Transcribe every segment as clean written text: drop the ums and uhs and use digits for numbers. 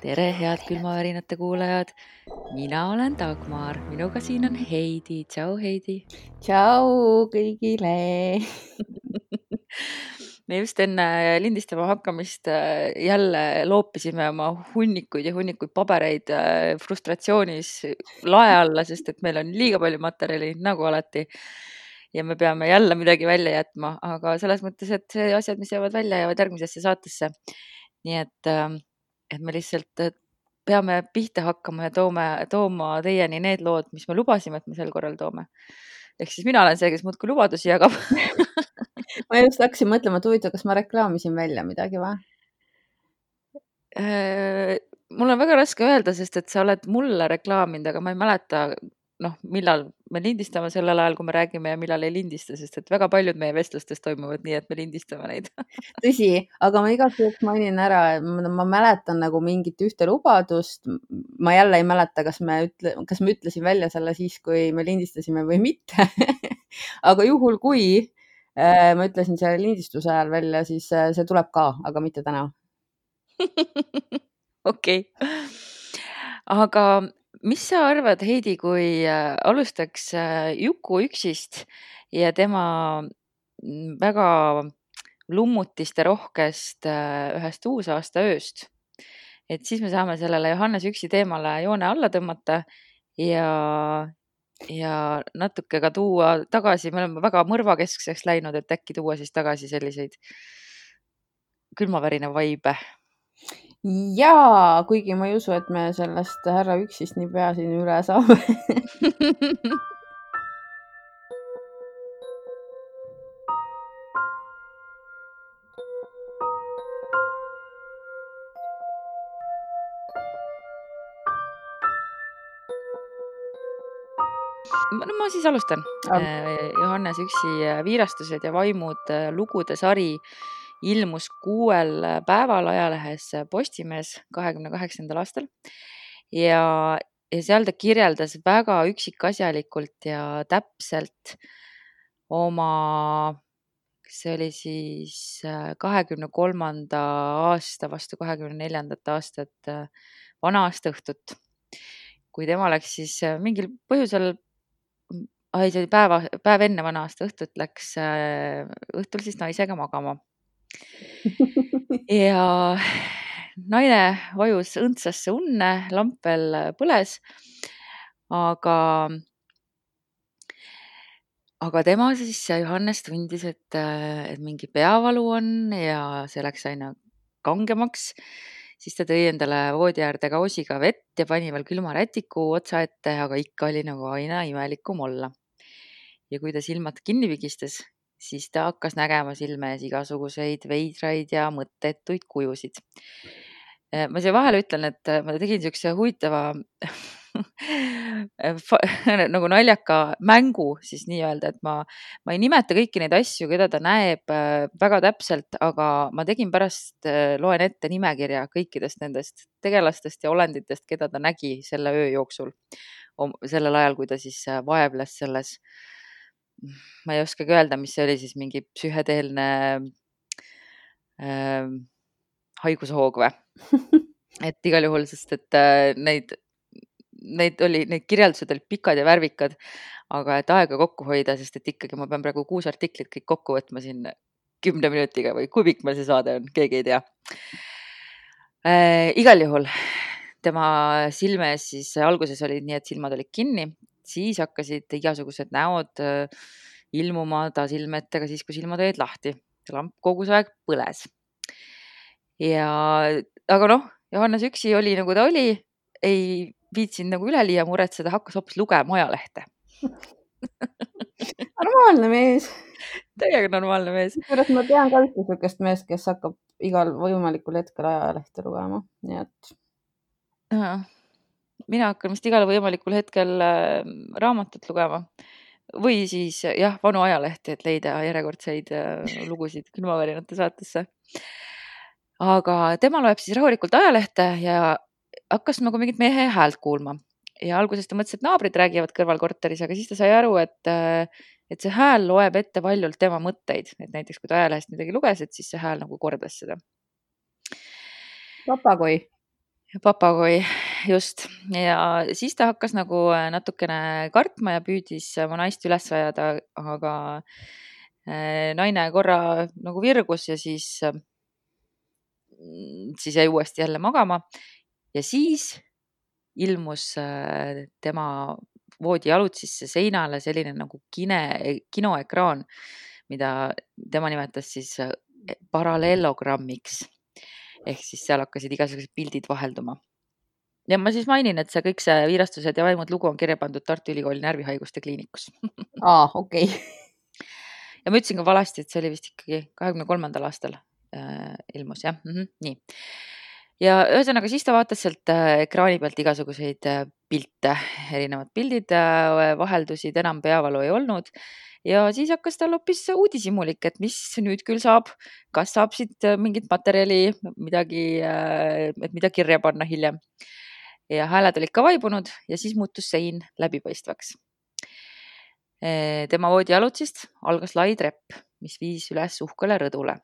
Tere, head külmavärinate kuulajad. Mina olen Dagmar, minuga siin on Heidi. Tšau, Heidi. Tšau kõigile. Me just enne lindistama hakkamist jälle loopisime oma hunnikuid ja hunnikuid pabereid frustratsioonis lae alla, sest et meil on liiga palju materjali, nagu alati. Ja me peame jälle midagi välja jätma, aga selles mõttes, et see asjad, mis jäävad välja, jäävad järgmisesse saatesse. Nii et me lihtsalt peame pihta hakkama ja tooma teieni need lood, mis me lubasime, et me sel korral toome. Ehk siis mina olen see, kes muudkui lubadusi jagab. Ma just hakkasin mõtlema, et huvitav, kas ma reklaamisin välja midagi või? Mul on väga raske öelda, sest et sa oled mulle reklaaminud, aga ma ei mäleta, millal me lindistame sellel ajal, kui me räägime ja millal ei lindista, sest et väga paljud meie vestlustest toimuvad nii, et me lindistame neid. Tõsi, aga ma igaks juhuks mainin ära, ma mäletan nagu mingit ühte lubadust. Ma jälle ei mäleta, kas me ütlesin välja selle siis, kui me lindistasime või mitte. Aga juhul, kui ma ütlesin selle lindistuse ajal välja, siis see tuleb ka, aga mitte täna. Okei. Aga mis sa arvad, Heidi, kui alustaks Juku Üksist ja tema väga lummutiste rohkest ühest uusaasta ööst? Et siis me saame sellele Johannes Üksi teemale joone alla tõmmata ja natuke ka tuua tagasi. Me oleme väga mõrvakeskseks läinud, et äkki tuua siis tagasi selliseid külmavärina vaibe. Jaa, kuigi ma ei usu, et me sellest härra Üksist nii pea siin üle saame. Ma siis alustan. Johannes Üksi viirastused ja vaimud lugude sari ilmus 6 päeval ajalehes Postimees 28. aastal ja seal ta kirjeldas väga üksikasjalikult ja täpselt oma, see oli siis 23. aasta vastu 24. aastat vana-aasta õhtut. Kui tema läks siis mingil põhjusel, see oli päev enne vana-aasta õhtut, läks õhtul siis naisega magama. Ja naine vajus õndsasse unne, lamp veel põles, aga tema siis, Johannes, tundis, et mingi peavalu on ja see läks aina kangemaks. Siis ta tõi endale voodi äärde kausiga vett ja pani veel külma rätiku otsa ette, aga ikka oli nagu aina imelikum olla. Ja kui ta silmad kinni pigistas, siis ta hakkas nägema silme ees igasuguseid veidraid ja mõttetuid kujusid. Ma siia vahele ütlen, et ma tegin niisuguse huvitava nagu naljaka mängu siis nii-öelda, et ma ei nimeta kõiki neid asju, keda ta näeb väga täpselt, aga ma tegin pärast, loen ette nimekirja kõikidest nendest tegelastest ja olenditest, keda ta nägi selle öö jooksul. Sellel ajal, kui ta siis vaevles selles, ma ei oskagi öelda, mis see oli siis, mingi psühhedeelne haigushoog või? Et igal juhul, sest et need kirjeldused olid pikad ja värvikad, aga et aega kokku hoida, sest et ikkagi ma pean praegu 6 artiklit kõik kokku võtma siin 10 minutiga või kui pikk meil see saade on, keegi ei tea. Igal juhul tema silme ees siis alguses oli nii, et silmad olid kinni, siis hakkasid igasugused näod ilmuma ta silme ette ka siis, kui silmad olid lahti. Lamp kogu see aeg põles. Aga Johannes Üksi oli nagu ta oli, ei viitsinud nagu üleliia muretseda, hakkas hoopis lugema ajalehte. Normaalne mees. Täiega normaalne mees. Pärast ma tean ka ühte sükest meest, kes hakkab igal võimalikul hetkel ajalehte lugema, nii et. Mina hakkan vist igal võimalikul hetkel raamatut lugema või siis vanu ajalehti, et leida järjekordseid lugusid külmavärinate saatesse. Aga tema loeb siis rahulikult ajalehte ja hakkas nagu mingit mehe häält kuulma. Ja alguses ta mõtles, et naabrid räägivad kõrval korteris, aga siis ta sai aru, et see hääl loeb ette valjult tema mõtteid. Et näiteks, kui ta ajalehest midagi luges, et siis see hääl nagu kordas seda. Papagoi. papagoi, just. Ja siis ta hakkas nagu natukene kartma ja püüdis oma naist üles ajada, aga naine korra nagu virgus ja siis jäi uuesti jälle magama. Ja siis ilmus tema voodijalutsisse seinale selline nagu kinoekraan, mida tema nimetas siis paralleelogrammiks. Ehk siis seal hakkasid igasugused pildid vahelduma. Ja ma siis mainin, et kõik see Viirastused ja vaimud lugu on kirja pandud Tartu Ülikooli närvihaiguste kliinikus. Okei. Ja ma ütlesin ka valesti, et see oli vist ikkagi 23. aastal ilmus, jah. Nii. Ja ühesõnaga siis ta vaatas sealt ekraani pealt igasuguseid pilte, erinevad pildid vaheldusid, enam peavalu ei olnud. Ja siis hakkas tal hoopis uudishimulik, et mis nüüd küll saab, kas saab siit mingit materjali, midagi, et mida kirja panna hiljem. Ja hääled olid ka vaibunud ja siis muutus sein läbipaistvaks. Tema voodijalutsist algas lai trepp, mis viis üles uhkele rõdule.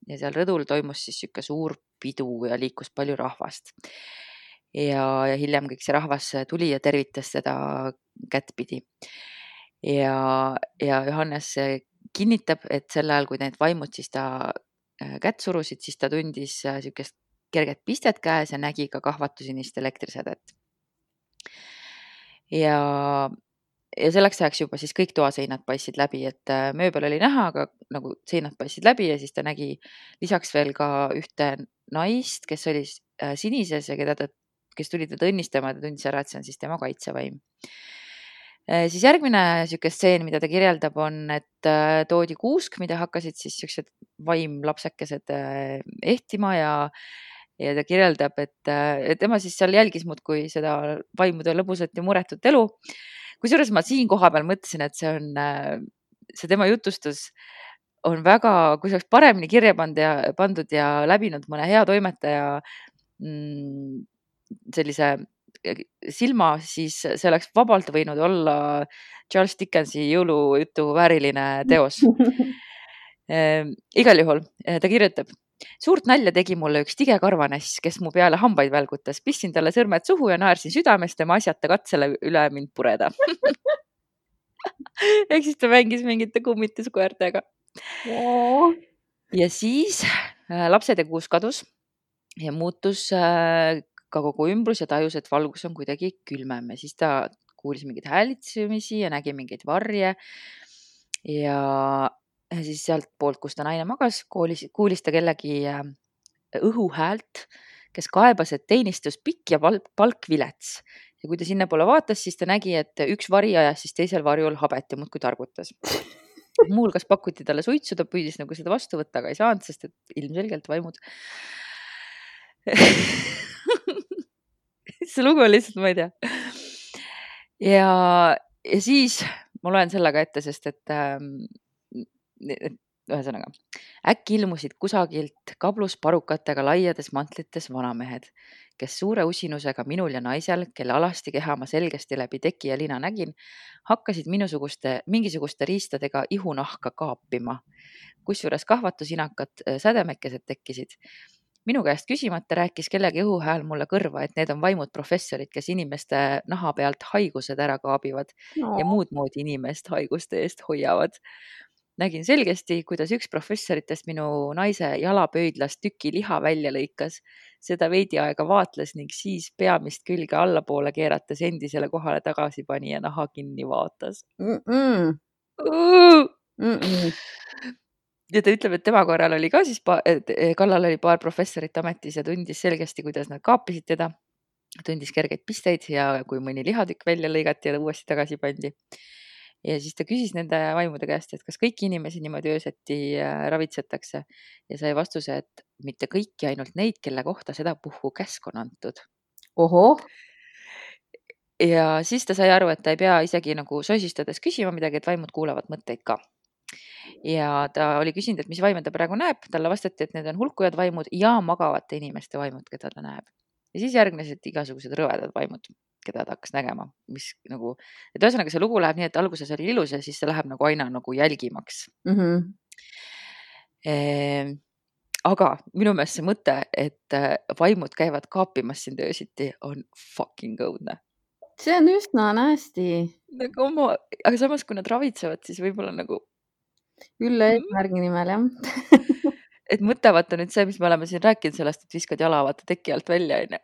Ja seal rõdul toimus siis siuke suur pidu ja liikus palju rahvast. Ja hiljem kõik see rahvas tuli ja tervitas seda kättpidi. Ja Johannes kinnitab, et sel ajal, kui need vaimud siis ta kätt surusid, siis ta tundis siukest kerget pistet käes ja nägi ka kahvatusinist elektrisädet. Ja selleks ajaks juba siis kõik toaseinad paistsid läbi, et mööbel oli näha, aga nagu seinad paistsid läbi ja siis ta nägi lisaks veel ka ühte naist, kes oli sinises ja kes tuli teda õnnistama, ta tundis ära, et see on siis tema kaitsevaim. Siis järgmine siuke stseen, mida ta kirjeldab, on, et toodi kuusk, mida hakkasid siis siuksed vaimlapsekesed ehtima ja ta kirjeldab, et tema siis seal jälgis muudkui seda vaimude lõbusat ja muretut elu. Kusjuures ma siin koha peal mõtlesin, et see tema jutustus on väga, kui see oleks paremini kirja pandud ja läbinud mõne hea toimetaja sellise silma, siis see oleks vabalt võinud olla Charles Dickensi jõulujutu vääriline teos. Igal juhul ta kirjutab: suurt nalja tegi mulle üks tige karvanass, kes mu peale hambaid välgutas. Pistsin talle sõrmed suhu ja naersin südamest tema asjata katsele üle mind pureda. Ehk siis ta mängis mingite kummituskoertega. Ja siis lapsed ja kuus kadus ja muutus ka kogu ümbrus ja tajus, et valgus on kuidagi külmem. Ja siis ta kuulis mingeid häälitsemisi ja nägi mingeid varje. Ja siis sealt poolt, kus ta naine magas, kuulis ta kellegi õhuhäält, kes kaebas, et teenistus pikk ja palk vilets. Ja kui ta sinna poole vaatas, siis ta nägi, et üks vari ajas siis teisel varjul habet ja muudkui targutas. Muulgas pakuti talle suitsu, ta püüdis nagu seda vastu võtta, aga ei saanud, sest et ilmselgelt vaimud. See lugu on lihtsalt, ma ei tea. Ja siis ma loen selle ka ette, sest et ühesõnaga, äkki ilmusid kusagilt kablusparukatega laiades mantlites vanamehed, kes suure usinusega minul ja naisel, kelle alasti keha ma selgesti läbi teki ja lina nägin, hakkasid mingisuguste riistadega ihunahka kaapima, kusjuures kahvatusinakad sädemekesed tekkisid. Minu käest küsimata rääkis kellegi õhuhääl mulle kõrva, et need on vaimud professorid, kes inimeste naha pealt haigused ära kaabivad ja muud moodi inimest haiguste eest hoiavad. Nägin selgesti, kuidas üks professoritest minu naise jalapöidlast tüki liha välja lõikas. Seda veidi aega vaatles ning siis peamist külge allapoole keerates endisele kohale tagasi pani ja naha kinni vaatas. Ja ta ütleb, et tema korral oli ka siis kallal oli paar professorit ametis ja tundis selgesti, kuidas nad kaapisid teda. Tundis kergeid pisteid ja kui mõni lihatükk välja lõigati ja uuesti tagasi pandi. Ja siis ta küsis nende vaimude käest, et kas kõiki inimesi niimoodi ööseti ravitsetakse ja sai vastuse, et mitte kõiki, ainult neid, kelle kohta seda puhku käsk on antud. Ohoh. Ja siis ta sai aru, et ta ei pea isegi nagu sosistades küsima midagi, et vaimud kuulavad mõtteid ka. Ja ta oli küsinud, et mis vaime ta praegu näeb. Talle vastati, et need on hulkujad vaimud ja magavate inimeste vaimud, keda ta näeb. Ja siis järgnesid igasugused rõvedad vaimud, keda ta hakkas nägema, mis nagu, et ühesõnaga see lugu läheb nii, et alguses oli ilus ja siis see läheb nagu aina nagu jälgimaks. aga minu meelest see mõte, et vaimud käivad kaapimas sind öösiti, on fucking õudne. See on üsna nasty. Nagu aga samas, kui nad ravitsevad, siis võib-olla nagu Ülle eesmärgi nimel, jah. et mõte vaata nüüd see, mis me oleme siin rääkinud sellest, et viskad jala vaata teki alt välja, onju.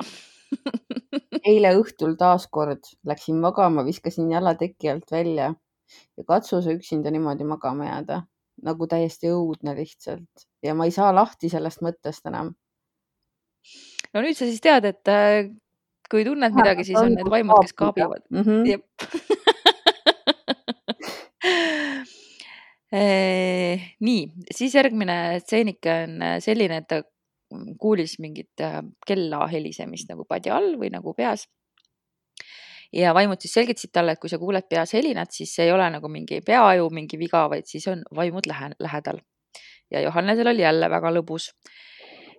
Eile õhtul taaskord läksin magama, viskasin jala teki alt välja ja katsu sa üksinda niimoodi magama jääda. Nagu täiesti õudne lihtsalt. Ja ma ei saa lahti sellest mõttest enam. No nüüd sa siis tead, et kui tunned midagi, siis on need vaimud, kes kaabivad. Jep. Nii, siis järgmine stseenike on selline, et ta kuulis mingit kella helisemist nagu padja all või nagu peas. Ja vaimud siis selgitasid talle, et kui sa kuuled peas helinat, siis see ei ole nagu mingi peaaju mingi viga, vaid siis on vaimud lähedal. Ja Johannesel oli jälle väga lõbus.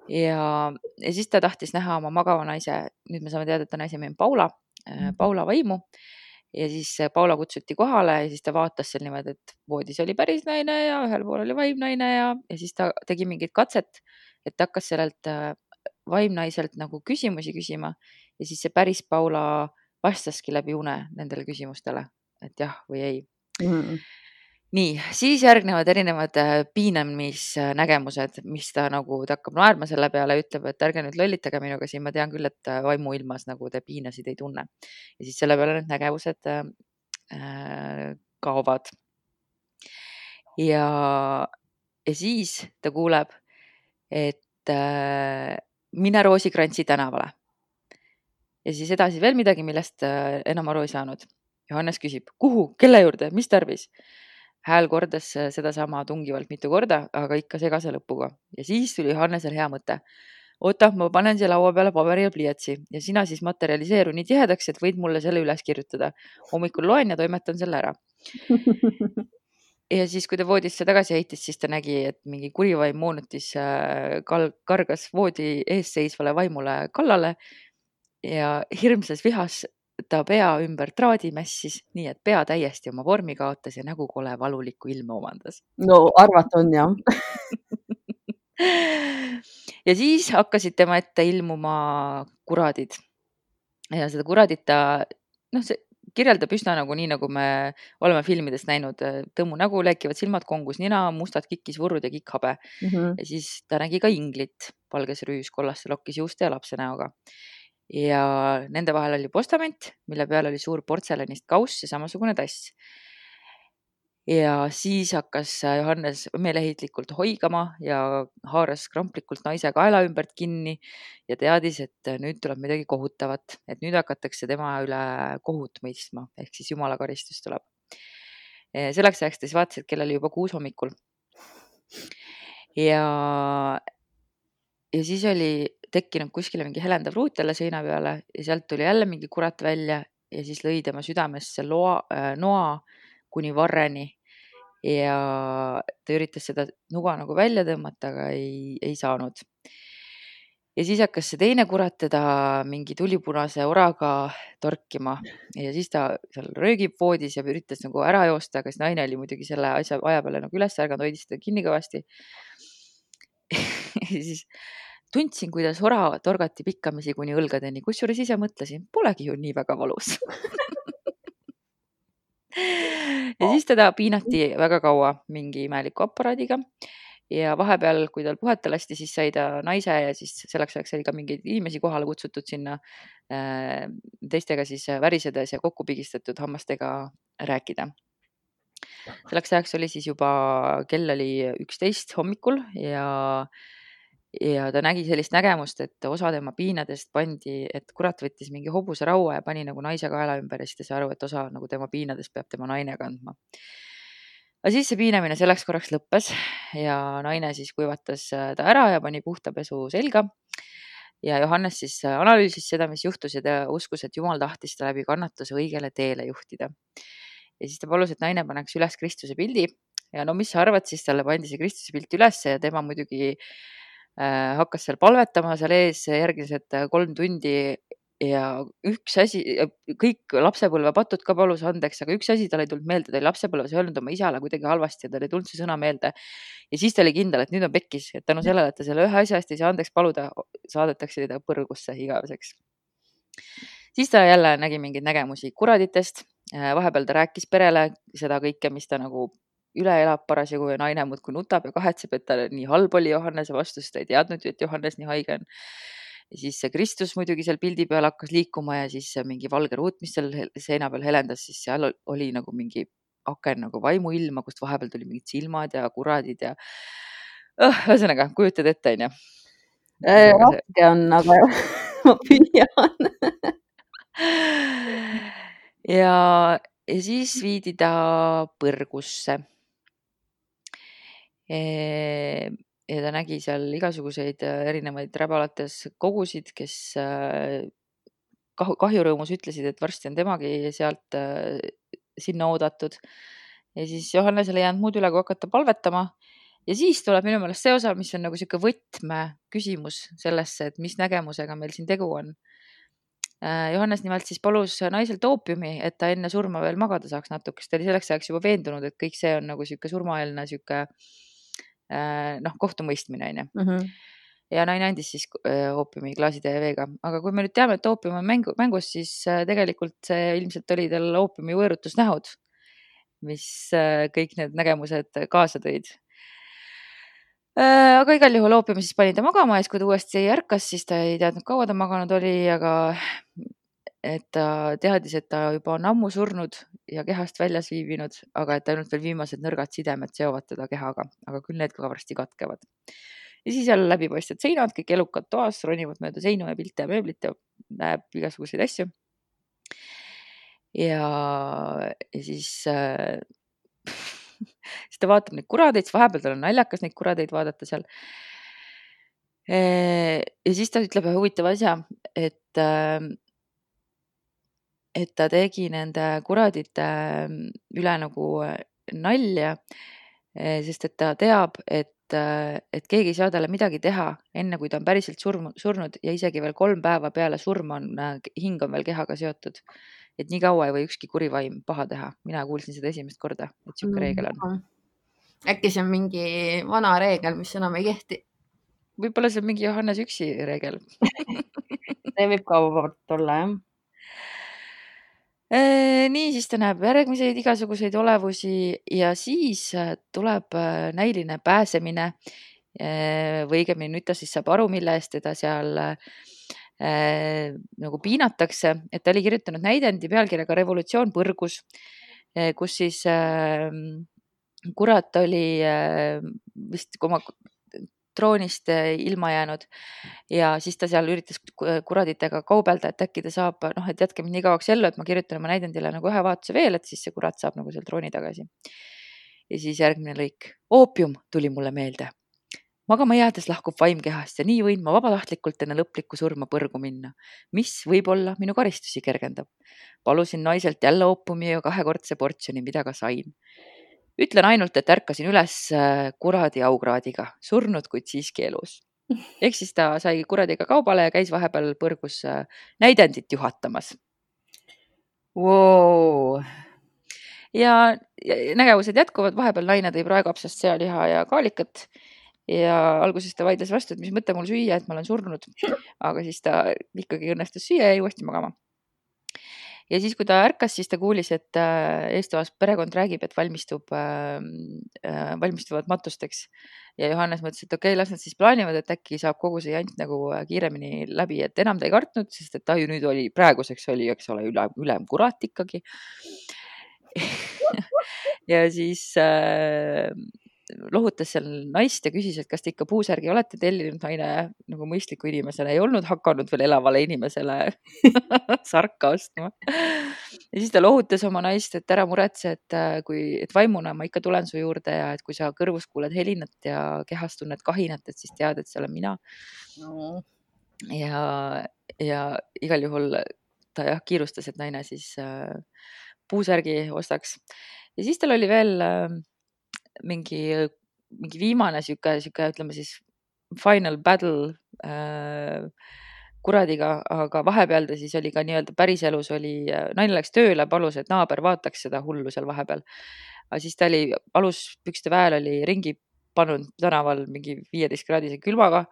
Ja siis ta tahtis näha oma magava naise, nüüd me saame teada, et ta naise nimi on Paula vaimu. Ja siis Paula kutsuti kohale ja siis ta vaatas seal niimoodi, et voodis oli päris naine ja ühel pool oli vaimnaine ja siis ta tegi mingit katset, et ta hakkas sellelt vaimnaiselt nagu küsimusi küsima ja siis see päris Paula vastaski läbi une nendele küsimustele, et jah või ei. Nii, siis järgnevad erinevad piinamisnägemused, mis ta nagu, ta hakkab naerma selle peale ja ütleb, et ärge nüüd lollitage minuga siin, ma tean küll, et vaimuilmas nagu te piinasid ei tunne. Ja siis selle peale need nägevused kaovad. Ja siis ta kuuleb, et mine Roosikrantsi tänavale. Ja siis edasi veel midagi, millest enam aru ei saanud. Johannes küsib, kuhu, kelle juurde, mis tarvis? Hääl kordas sedasama tungivalt mitu korda, aga ikka segase lõpuga. Ja siis tuli Johannesel hea mõte. Oota, ma panen siia laua peale paberi ja pliiatsi ja sina siis materialiseeru nii tihedaks, et võid mulle selle üles kirjutada. Hommikul loen ja toimetan selle ära. Ja siis, kui ta voodisse tagasi heitis, siis ta nägi, et mingi kurivaim moonutis kargas voodi ees seisvale vaimule kallale ja hirmsas vihas ta pea ümber traadi mässis, nii et pea täiesti oma vormi kaotas ja nägu kole valulikku ilme omandas. No arvata on jah. Ja siis hakkasid tema ette ilmuma kuradid. Ja seda kuradit ta, see kirjeldab üsna nagu nii, nagu me oleme filmidest näinud. Tõmmu nägu, leekivad silmad, kongus nina, mustad kikkisvurrud ja kikkhabe. Ja siis ta nägi ka inglit, valges rüüs, kollaste lokkis juuste ja lapse näoga. Ja nende vahel oli postament, mille peal oli suur portselanist kauss ja samasugune tass. Ja siis hakkas Johannes meeleheitlikult hoigama ja haaras kramplikult naise kaela ümbert kinni ja teadis, et nüüd tuleb midagi kohutavat, et nüüd hakatakse tema üle kohut mõistma, ehk siis jumala karistus tuleb. Selleks ajaks ta siis vaatas, et kell oli juba 6 hommikul. Ja siis oli tekkinud kuskile mingi helendav ruut jälle seina peale ja sealt tuli jälle mingi kurat välja ja siis lõi tema südamesse noa kuni varreni ja ta üritas seda nuga nagu välja tõmmata, aga ei saanud. Ja siis hakkas see teine kurat teda mingi tulipunase oraga torkima ja siis ta seal röögib voodis ja üritas nagu ära joosta, aga siis naine oli muidugi selle aja peale nagu üles ärganud, hoidis teda kinni kõvasti. Ja siis tundsin, kuidas ora torgati pikkamisi kuni õlgadeni, kusjuures ise mõtlesin, polegi ju nii väga valus. Ja siis teda piinati väga kaua mingi imeliku aparaadiga ja vahepeal, kui tal puhata lasti, siis sai ta naise ja siis selleks ajaks oli ka mingeid inimesi kohale kutsutud sinna teistega siis värisedes ja kokku pigistatud hammastega rääkida. Selleks ajaks oli siis juba kell oli 11 hommikul ja ta nägi sellist nägemust, et osa tema piinadest pandi, et kurat võttis mingi hobuse raua ja pani nagu naise kaela ümber ja siis ta sai aru, et osa nagu tema piinadest peab tema naine kandma. Aga siis see piinamine selleks korraks lõppes ja naine siis kuivatas ta ära ja pani puhta pesu selga. Ja Johannes siis analüüsis seda, mis juhtus ja ta uskus, et Jumal tahtis ta läbi kannatuse õigele teele juhtida. Ja siis ta palus, et naine paneks üles Kristuse pildi ja no mis sa arvad, siis talle pandi see Kristuse pilt üles ja tema muidugi hakkas seal palvetama seal ees järgmised 3 tundi ja üks asi, kõik lapsepõlvepatud ka palus andeks, aga üks asi tal ei tulnud meelde, ta oli lapsepõlves öelnud oma isale kuidagi halvasti ja tal ei tulnud see sõna meelde. Ja siis ta oli kindel, et nüüd on pekkis, et tänu sellele, et ta selle ühe asja eest ei saa andeks paluda, saadetakse ta põrgusse igaveseks. Siis ta jälle nägi mingeid nägemusi kuraditest. Vahepeal ta rääkis perele seda kõike, mis ta nagu üle elab parasjagu ja naine muudkui nutab ja kahetseb, et ta nii halb oli Johannese vastu, sest ta ei teadnud ju, et Johannes nii haige on. Ja siis see Kristus muidugi seal pildi peal hakkas liikuma ja siis mingi valge ruut, mis seal seina peal helendas, siis seal oli nagu mingi aken nagu vaimuilma, kust vahepeal tuli mingid silmad ja kuradid ja ühesõnaga, kujutad ette, onju. Raske on, aga ma püüan. Ja siis viidi ta põrgusse. Ja ta nägi seal igasuguseid erinevaid räbalates kogusid, kes kahjurõõmus ütlesid, et varsti on temagi sealt sinna oodatud. Ja siis Johannesele ei jäänud muud üle, kui hakata palvetama. Ja siis tuleb minu meelest see osa, mis on nagu sihuke võtmeküsimus sellesse, et mis nägemusega meil siin tegu on. Johannes nimelt siis palus naiselt oopiumi, et ta enne surma veel magada saaks natuke, sest ta oli selleks ajaks juba veendunud, et kõik see on nagu sihuke surmaeelne sihuke kohtumõistmine, onju. Ja naine andis siis oopiumi klaasitäie veega. Aga kui me nüüd teame, et oopium on mängus, siis tegelikult see ilmselt oli tal oopiumi võõrutusnähud, mis kõik need nägemused kaasa tõid. Aga igal juhul oopiumi siis pani ta magama ja siis, kui ta uuesti ärkas, siis ta ei teadnud, kaua ta maganud oli, aga et ta teadis, et ta juba on ammu surnud ja kehast väljas viibinud, aga et ainult veel viimased nõrgad sidemed seovad teda kehaga, aga küll need ka varsti katkevad. Ja siis jälle läbipaistvad seinad, kõik elukad toas, ronivad mööda seinu ja pilte ja mööblit ja näeb igasuguseid asju. Ja siis siis ta vaatab neid kuradeid, siis vahepeal tal on naljakas neid kuradeid vaadata seal. Ja siis ta ütleb ühe huvitava asja, et ta tegi nende kuradite üle nagu nalja, sest et ta teab, et keegi ei saa talle midagi teha, enne kui ta on päriselt surnud ja isegi veel 3 päeva peale surma on hing on veel kehaga seotud. Et nii kaua ei või ükski kuri vaim paha teha. Mina kuulsin seda esimest korda, et sihuke reegel on. Äkki see on mingi vana reegel, mis enam ei kehti? Võib-olla see on mingi Johannes üksi reegel. See võib ka vabalt olla, jah. Nii, siis ta näeb järgmiseid igasuguseid olevusi ja siis tuleb näiline pääsemine või õigemini nüüd ta siis saab aru, mille eest teda seal nagu piinatakse, et ta oli kirjutanud näidendi pealkirjaga Revolutsioon põrgus, kus siis kurat oli vist oma troonist ilma jäänud ja siis ta seal üritas kuraditega kaubelda, et äkki ta saab, et jätke mind nii kauaks ellu, et ma kirjutan oma näidendile nagu ühe vaatuse veel, et siis see kurat saab nagu seal trooni tagasi. Ja siis järgmine lõik. Oopium tuli mulle meelde. Magama jäädes lahkub vaim kehast ja nii võin ma vabatahtlikult enne lõplikku surma põrgu minna, mis võib-olla minu karistusi kergendab. Palusin naiselt jälle oopumi ja 2-kordse portsjoni, mida ka sain. Ütlen ainult, et ärkasin üles kuradi aukraadiga, surnud, kuid siiski elus. Ehk siis ta sai kuradiga kaubale ja käis vahepeal põrgus näidendit juhatamas. Wow. Ja nägevused jätkuvad, vahepeal naine tõi praegapsast sealiha ja kaalikat ja alguses ta vaidles vastu, et mis mõte mul süüa, et ma olen surnud, aga siis ta ikkagi õnnestus süüa ja jäi uuesti magama. Ja siis, kui ta ärkas, siis ta kuulis, et eestoas perekond räägib, et valmistuvad matusteks. Ja Johannes mõtles, et okei, las nad siis plaanivad, et äkki saab kogu see jant nagu kiiremini läbi, et enam ta ei kartnud, sest et ta ju nüüd oli, praeguseks oli, eks ole, ülem kurat ikkagi. Ja siis lohutas seal naist ja küsis, et kas te ikka puusärgi olete tellinud. Naine nagu mõistliku inimesele ei olnud hakanud veel elavale inimesele sarka ostma. Ja siis ta lohutas oma naist, et ära muretse, et vaimuna ma ikka tulen su juurde ja et kui sa kõrvus kuuled helinat ja kehas tunned kahinat, et siis tead, et see olen mina. Ja igal juhul ta kiirustas, et naine siis puusärgi ostaks. Ja siis tal oli veel mingi viimane sihuke, ütleme siis final battle kuradiga, aga vahepeal ta siis oli ka nii-öelda päriselus oli, naine läks tööle, palus, et naaber vaataks seda hullu seal vahepeal. Aga siis ta oli aluspükste väel oli ringi pannud tänaval mingi 15-kraadise külmaga.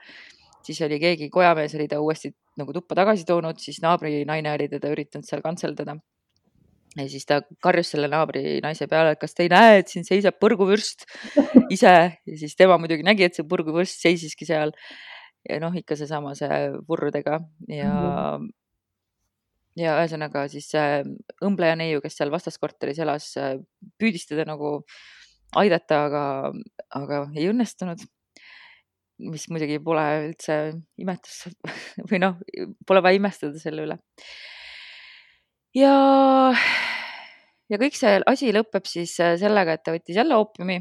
Siis oli keegi kojamees oli ta uuesti nagu tuppa tagasi toonud, siis naabri naine oli teda üritanud seal kantseldada. Ja siis ta karjus selle naabri naise peale, et kas te ei näe, et siin seisab põrguvürst ise. Ja siis tema muidugi nägi, et see põrguvürst seisiski seal. Ja noh, ikka seesama see vurrudega ja ühesõnaga siis õmbleja neiu, kes seal vastaskorteris elas, püüdis teda nagu aidata, aga ei õnnestunud. Mis muidugi pole üldse imetus või noh, pole vaja imestada selle üle. Ja kõik see asi lõpeb siis sellega, et ta võttis jälle oopiumi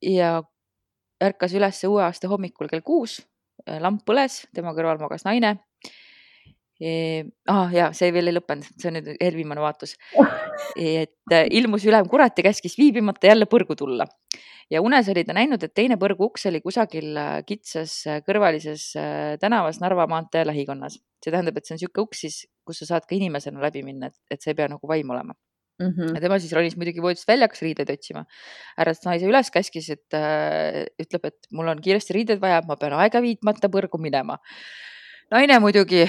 ja ärkas üles uue aasta hommikul kell 6, lamp põles, tema kõrval magas naine. Ja see veel ei lõppenud, see on nüüd eelviimane vaatus. Et ilmus ülem kurat ja käskis viibimata jälle põrgu tulla. Ja unes oli ta näinud, et teine põrgu uks oli kusagil kitsas kõrvalises tänavas Narva maantee lähikonnas. See tähendab, et see on siuke uks siis, kus sa saad ka inimesena läbi minna, et see ei pea nagu vaim olema. Ja tema siis ronis muidugi voodist välja, hakkas riideid otsima. Äratas naise üles, käskis, et ütleb, et mul on kiiresti riideid vaja, ma pean aega viitmata põrgu minema. Naine muidugi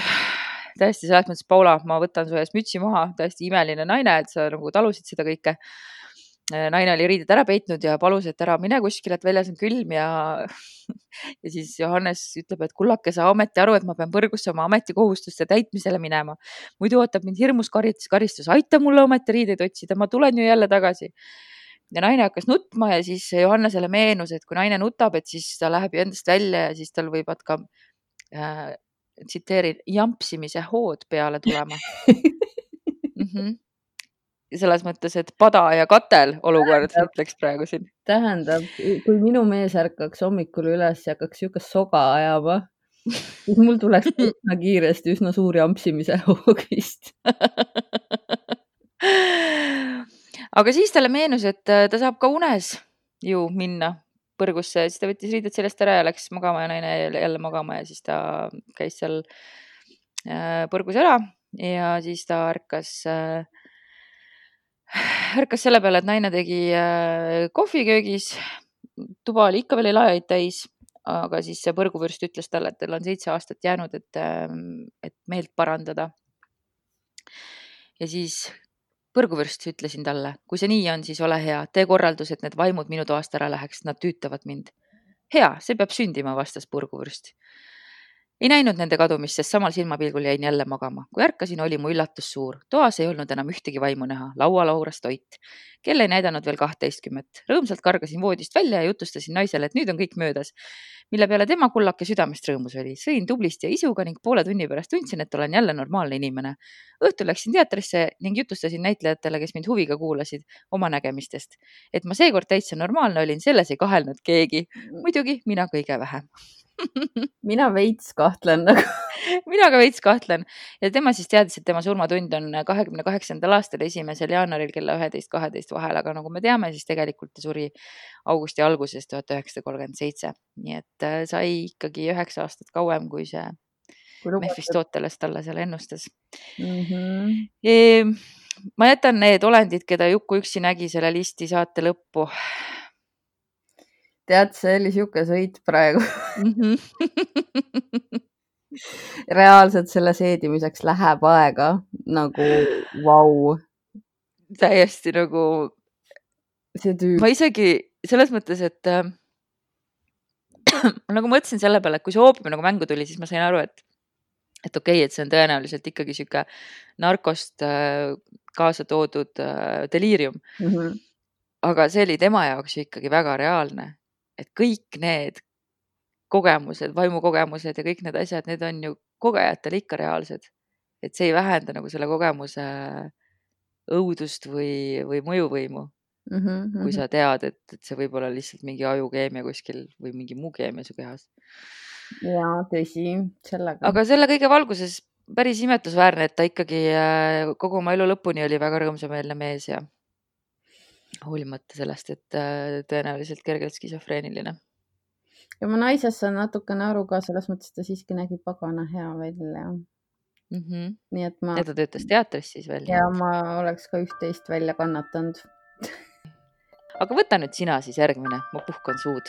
täiesti selles mõttes, Paula, ma võtan su ees mütsi maha, täiesti imeline naine, et sa nagu talusid seda kõike. Naine oli riided ära peitnud ja palus, et ära mine kuskile, et väljas on külm ja siis Johannes ütleb, et kullake, sa ometi aru, et ma pean põrgusse oma ametikohustuste täitmisele minema. Muidu ootab mind hirmus karistus, aita mulle ometi riideid otsida, ma tulen ju jälle tagasi. Ja naine hakkas nutma ja siis Johannesele meenus, et kui naine nutab, et siis ta läheb ju endast välja ja siis tal võivad ka tsiteerin, jampsimise hood peale tulema. Selles mõttes, et pada ja katel olukord, ütleks praegu siin. Tähendab, kui minu mees ärkaks hommikul üles ja hakkaks siukest soga ajama, siis mul tuleks üsna kiiresti üsna suur jampsimise hoog vist. Aga siis talle meenus, et ta saab ka unes ju minna põrgusse, siis ta võttis riided sellest ära ja läks magama ja naine jälle magama ja siis ta käis seal põrgus ära ja siis ta ärkas selle peale, et naine tegi kohvi köögis, tuba oli ikka veel lajaid täis, aga siis see põrguvürst ütles talle, et tal on 7 aastat jäänud, et meelt parandada. Ja siis põrguvürst ütlesin talle, kui see nii on, siis ole hea, tee korraldus, et need vaimud minu toast ära läheks, nad tüütavad mind. Hea, see peab sündima, vastas põrguvürst. Ei näinud nende kadumist, sest samal silmapilgul jäin jälle magama. Kui ärkasin, oli mu üllatus suur. Toas ei olnud enam ühtegi vaimu näha. Laual auras toit. Kell ei näidanud veel 12. Rõõmsalt kargasin voodist välja ja jutustasin naisele, et nüüd on kõik möödas. Mille peale tema kullake südamest rõõmus oli. Sõin tublisti ja isuga ning poole tunni pärast tundsin, et olen jälle normaalne inimene. Õhtul läksin teatrisse ning jutustasin näitlejatele, kes mind huviga kuulasid oma nägemistest. Et ma seekord täitsa normaalne olin, selles ei kahelnud keegi. Muidugi mina kõige vähem. Mina veits kahtlen nagu. Mina ka veits kahtlen. Ja tema siis teadis, et tema surmatund on 28. aastal 1. jaanuaril kella 11-12 vahel, aga nagu me teame, siis tegelikult ta suri augusti alguses 1937. Nii et sai ikkagi 9 aastat kauem, kui see Mephistoteles talle seal ennustas. Ma jätan need olendid, keda Juku üksi nägi selle listi saate lõppu. Tead, see oli siuke sõit praegu. Reaalselt selle seedimiseks läheb aega nagu vau. Täiesti nagu see tüüp. Ma isegi selles mõttes, et nagu mõtlesin selle peale, et kui see oopium nagu mängu tuli, siis ma sain aru, et okei, et see on tõenäoliselt ikkagi siuke narkost kaasa toodud deliirium. Aga see oli tema jaoks ikkagi väga reaalne. Et kõik need kogemused, vaimukogemused ja kõik need asjad, need on ju kogejatel ikka reaalsed. Et see ei vähenda nagu selle kogemuse õudust või mõjuvõimu. Kui sa tead, et see võib olla lihtsalt mingi ajukeemia kuskil või mingi muu keemia su kehas. Jaa, tõsi, sellega. Aga selle kõige valguses päris imetlusväärne, et ta ikkagi kogu oma elu lõpuni oli väga rõõmsameelne mees ja hoolimata sellest, et tõenäoliselt kergelt skisofreeniline. ja ma naisest saan natukene aru ka, selles mõttes ta siiski nägi pagana hea välja. Nii et ja ta töötas teatris siis veel. Ja ma oleks ka üht-teist välja kannatanud. Aga võta nüüd sina siis järgmine, ma puhkan suud.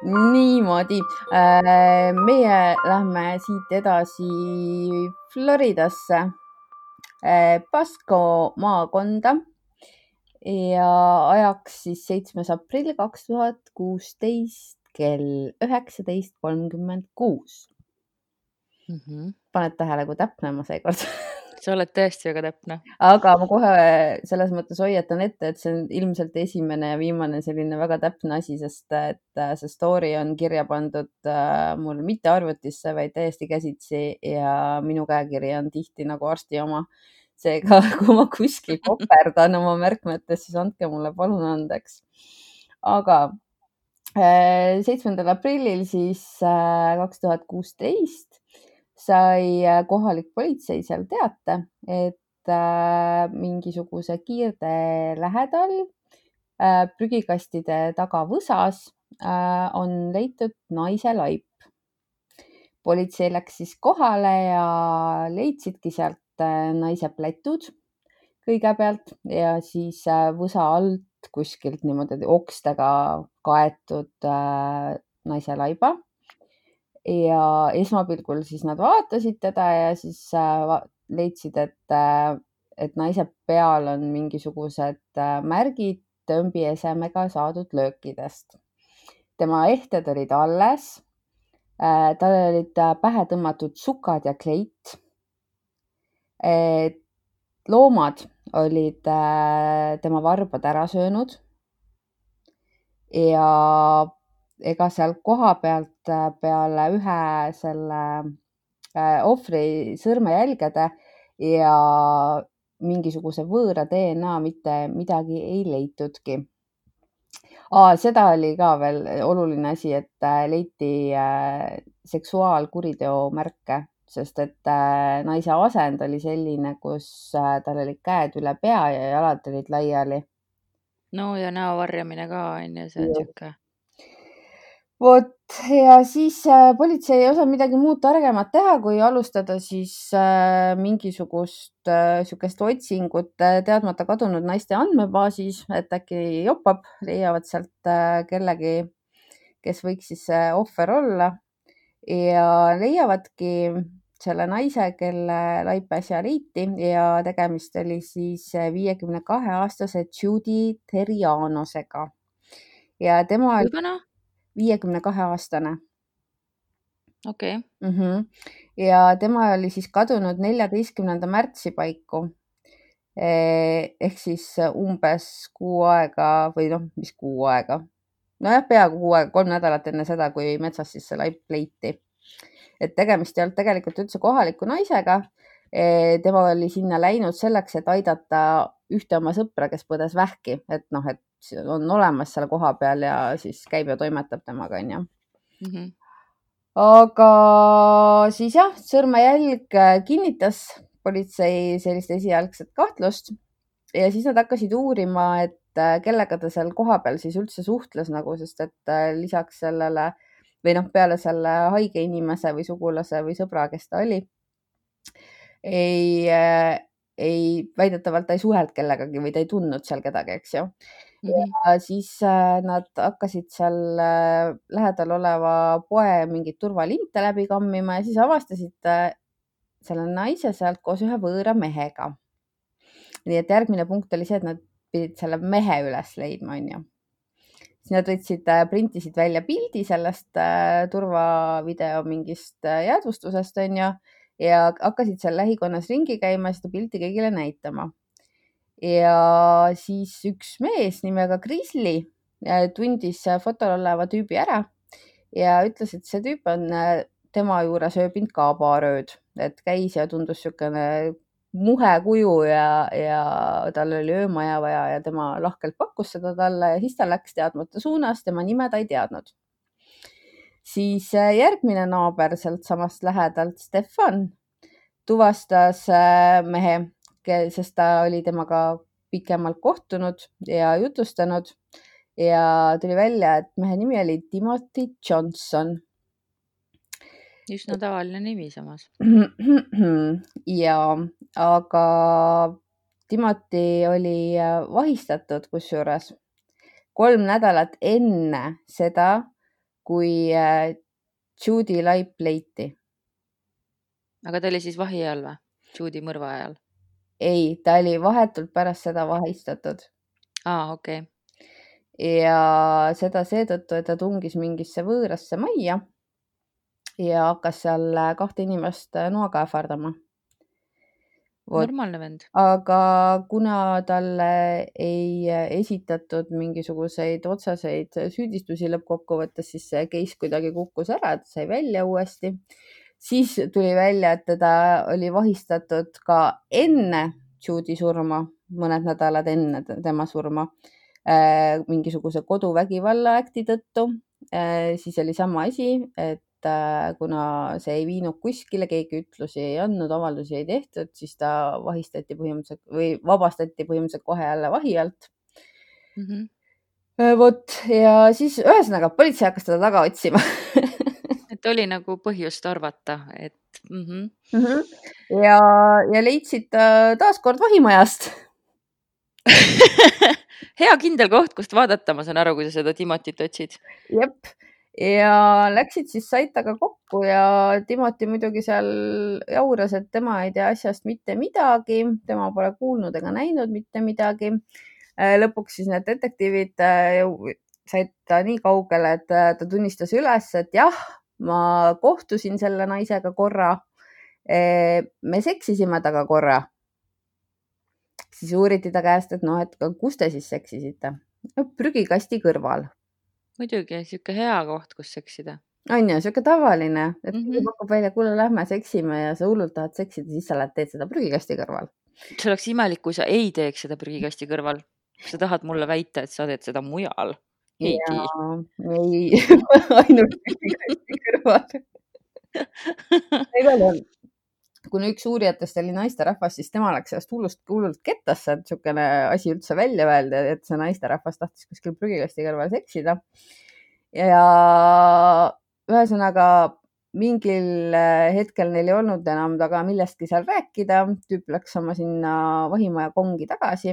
Niimoodi. Meie lähme siit edasi Floridasse, Pasco maakonda ja ajaks siis 7. aprill 2016 kell 19:36. Paned tähele, kui täpne ma seekord. Sa oled tõesti väga täpne. Aga ma kohe selles mõttes hoiatan ette, et see on ilmselt esimene ja viimane selline väga täpne asi, sest et see story on kirja pandud mul mitte arvutisse, vaid täiesti käsitsi ja minu käekiri on tihti nagu arsti oma. Seega, kui ma kuskil koperdan oma märkmetes, siis andke mulle palun andeks. Aga 7. aprillil siis 2016 sai kohalik politsei seal teate, et mingisuguse kiirtee lähedal prügikastide taga võsas on leitud naise laip. Politsei läks siis kohale ja leidsidki sealt naise plätud kõigepealt ja siis võsa alt kuskilt niimoodi okstega kaetud naise laiba. Ja esmapilgul siis nad vaatasid teda ja siis leidsid, et naise peal on mingisugused märgid tõmbiesemega saadud löökidest. Tema ehted olid alles. Tal olid pähe tõmmatud sukad ja kleit. Loomad olid tema varbad ära söönud ja ega seal koha pealt peale ühe selle ohvri sõrmejälgede ja mingisuguse võõra DNA mitte midagi ei leitudki. Seda oli ka veel oluline asi, et leiti seksuaalkuriteo märke, sest et naise asend oli selline, kus tal olid käed üle pea ja jalad olid laiali. No ja näo varjamine ka on ja see on siuke. Vot ja siis politsei ei osanud midagi muud targemat teha, kui alustada siis mingisugust sükest otsingut teadmata kadunud naiste andmebaasis, et äkki jopab, leiavad sealt kellegi, kes võiks siis ohver olla ja leiavadki selle naise, kelle laip äsja leiti ja tegemist oli siis 52-aastase Judy Terrianosega. Ja tema Kui vana? 52-aastane. Okei. Ja tema oli siis kadunud 14. märtsi paiku. Ehk siis umbes kuu aega või mis kuu aega. Nojah, peaaegu kuu aega, 3 nädalat enne seda, kui metsas siis see laip leiti. Et tegemist ei olnud tegelikult üldse kohaliku naisega. Tema oli sinna läinud selleks, et aidata ühte oma sõpra, kes põdes vähki, et on olemas seal koha peal ja siis käib ja toimetab temaga, on ju. Aga siis jah, sõrmejälg kinnitas politsei sellist esialgset kahtlust ja siis nad hakkasid uurima, et kellega ta seal koha peal siis üldse suhtles sest et lisaks sellele või peale selle haige inimese või sugulase või sõbra, kes ta oli, väidetavalt ta ei suhelnud kellegagi või ta ei tundnud seal kedagi, eks ju. Ja siis nad hakkasid seal lähedal oleva poe mingit turvalinte läbi kammima ja siis avastasid selle naise sealt koos ühe võõra mehega. Nii et järgmine punkt oli see, et nad pidid selle mehe üles leidma, on ju. Siis nad printisid välja pildi sellest turvavideo mingist jäädvustusest, on ju, ja hakkasid seal lähikonnas ringi käima ja seda pilti kõigile näitama. Ja siis üks mees nimega Grizzly tundis fotol oleva tüübi ära ja ütles, et see tüüp on tema juures ööbinud ka paar ööd, et käis ja tundus niisugune muhe kuju ja tal oli öömaja vaja ja tema lahkelt pakkus seda talle ja siis ta läks teadmata suunas, tema nime ta ei teadnud. siis järgmine naaber sealt samast lähedalt, Stefan, tuvastas mehe, sest ta oli temaga pikemalt kohtunud ja jutustanud ja tuli välja, et mehe nimi oli Timothy Johnson. Üsna tavaline nimi samas. Ja, aga Timothy oli vahistatud kusjuures 3 nädalat enne seda, kui Judy laip leiti. Aga ta oli siis vahi all või? Judy mõrva ajal? Ei, ta oli vahetult pärast seda vahistatud. Okei. Ja seda seetõttu, et ta tungis mingisse võõrasse majja ja hakkas seal 2 inimest noaga ähvardama. Normaalne vend. Aga kuna talle ei esitatud mingisuguseid otseseid süüdistusi lõppkokkuvõttes, siis see case kuidagi kukkus ära, et sai välja uuesti. Siis tuli välja, et teda oli vahistatud ka enne Judy surma, mõned nädalad enne tema surma, mingisuguse koduvägivalla äkti tõttu. Siis oli sama asi, et kuna see ei viinud kuskile, keegi ütlusi ei andnud, avaldusi ei tehtud, siis ta vahistati põhimõtteliselt või vabastati põhimõtteliselt kohe jälle vahi alt. Vot, ja siis ühesõnaga politsei hakkas teda taga otsima. Et oli nagu põhjust arvata, et ja leidsid ta taaskord vahimajast. Hea kindel koht, kust vaadata, ma saan aru, kui sa seda Timotit otsid. Jep. Ja läksid siis said taga kokku ja Timothy muidugi seal jauras, et tema ei tea asjast mitte midagi, tema pole kuulnud ega näinud mitte midagi. Lõpuks siis need detektiivid said ta nii kaugele, et ta tunnistas üles, et jah, ma kohtusin selle naisega korra. Me seksisime taga korra. Siis uuriti ta käest, et noh, et kus te siis seksisite? Prügikasti kõrval. Muidugi, siuke hea koht, kus seksida. On ju, siuke tavaline, et kui pakub välja, kuule, lähme seksime ja sa hullult tahad seksida, siis sa lähed teed seda prügikasti kõrval. See oleks imelik, kui sa ei teeks seda prügikasti kõrval. Sa tahad mulle väita, et sa teed seda mujal. Ei tee. Ei, ainult prügikasti kõrval. Igal juhul, kuna üks uurijatest oli naisterahvas, siis tema läks sellest hullult kettasse, et niisugune asi üldse välja öelda, et see naisterahvas tahtis kuskil prügikasti kõrval seksida. Ja ühesõnaga mingil hetkel neil ei olnud enam taga millestki seal rääkida. Tüüp läks oma sinna vahimaja kongi tagasi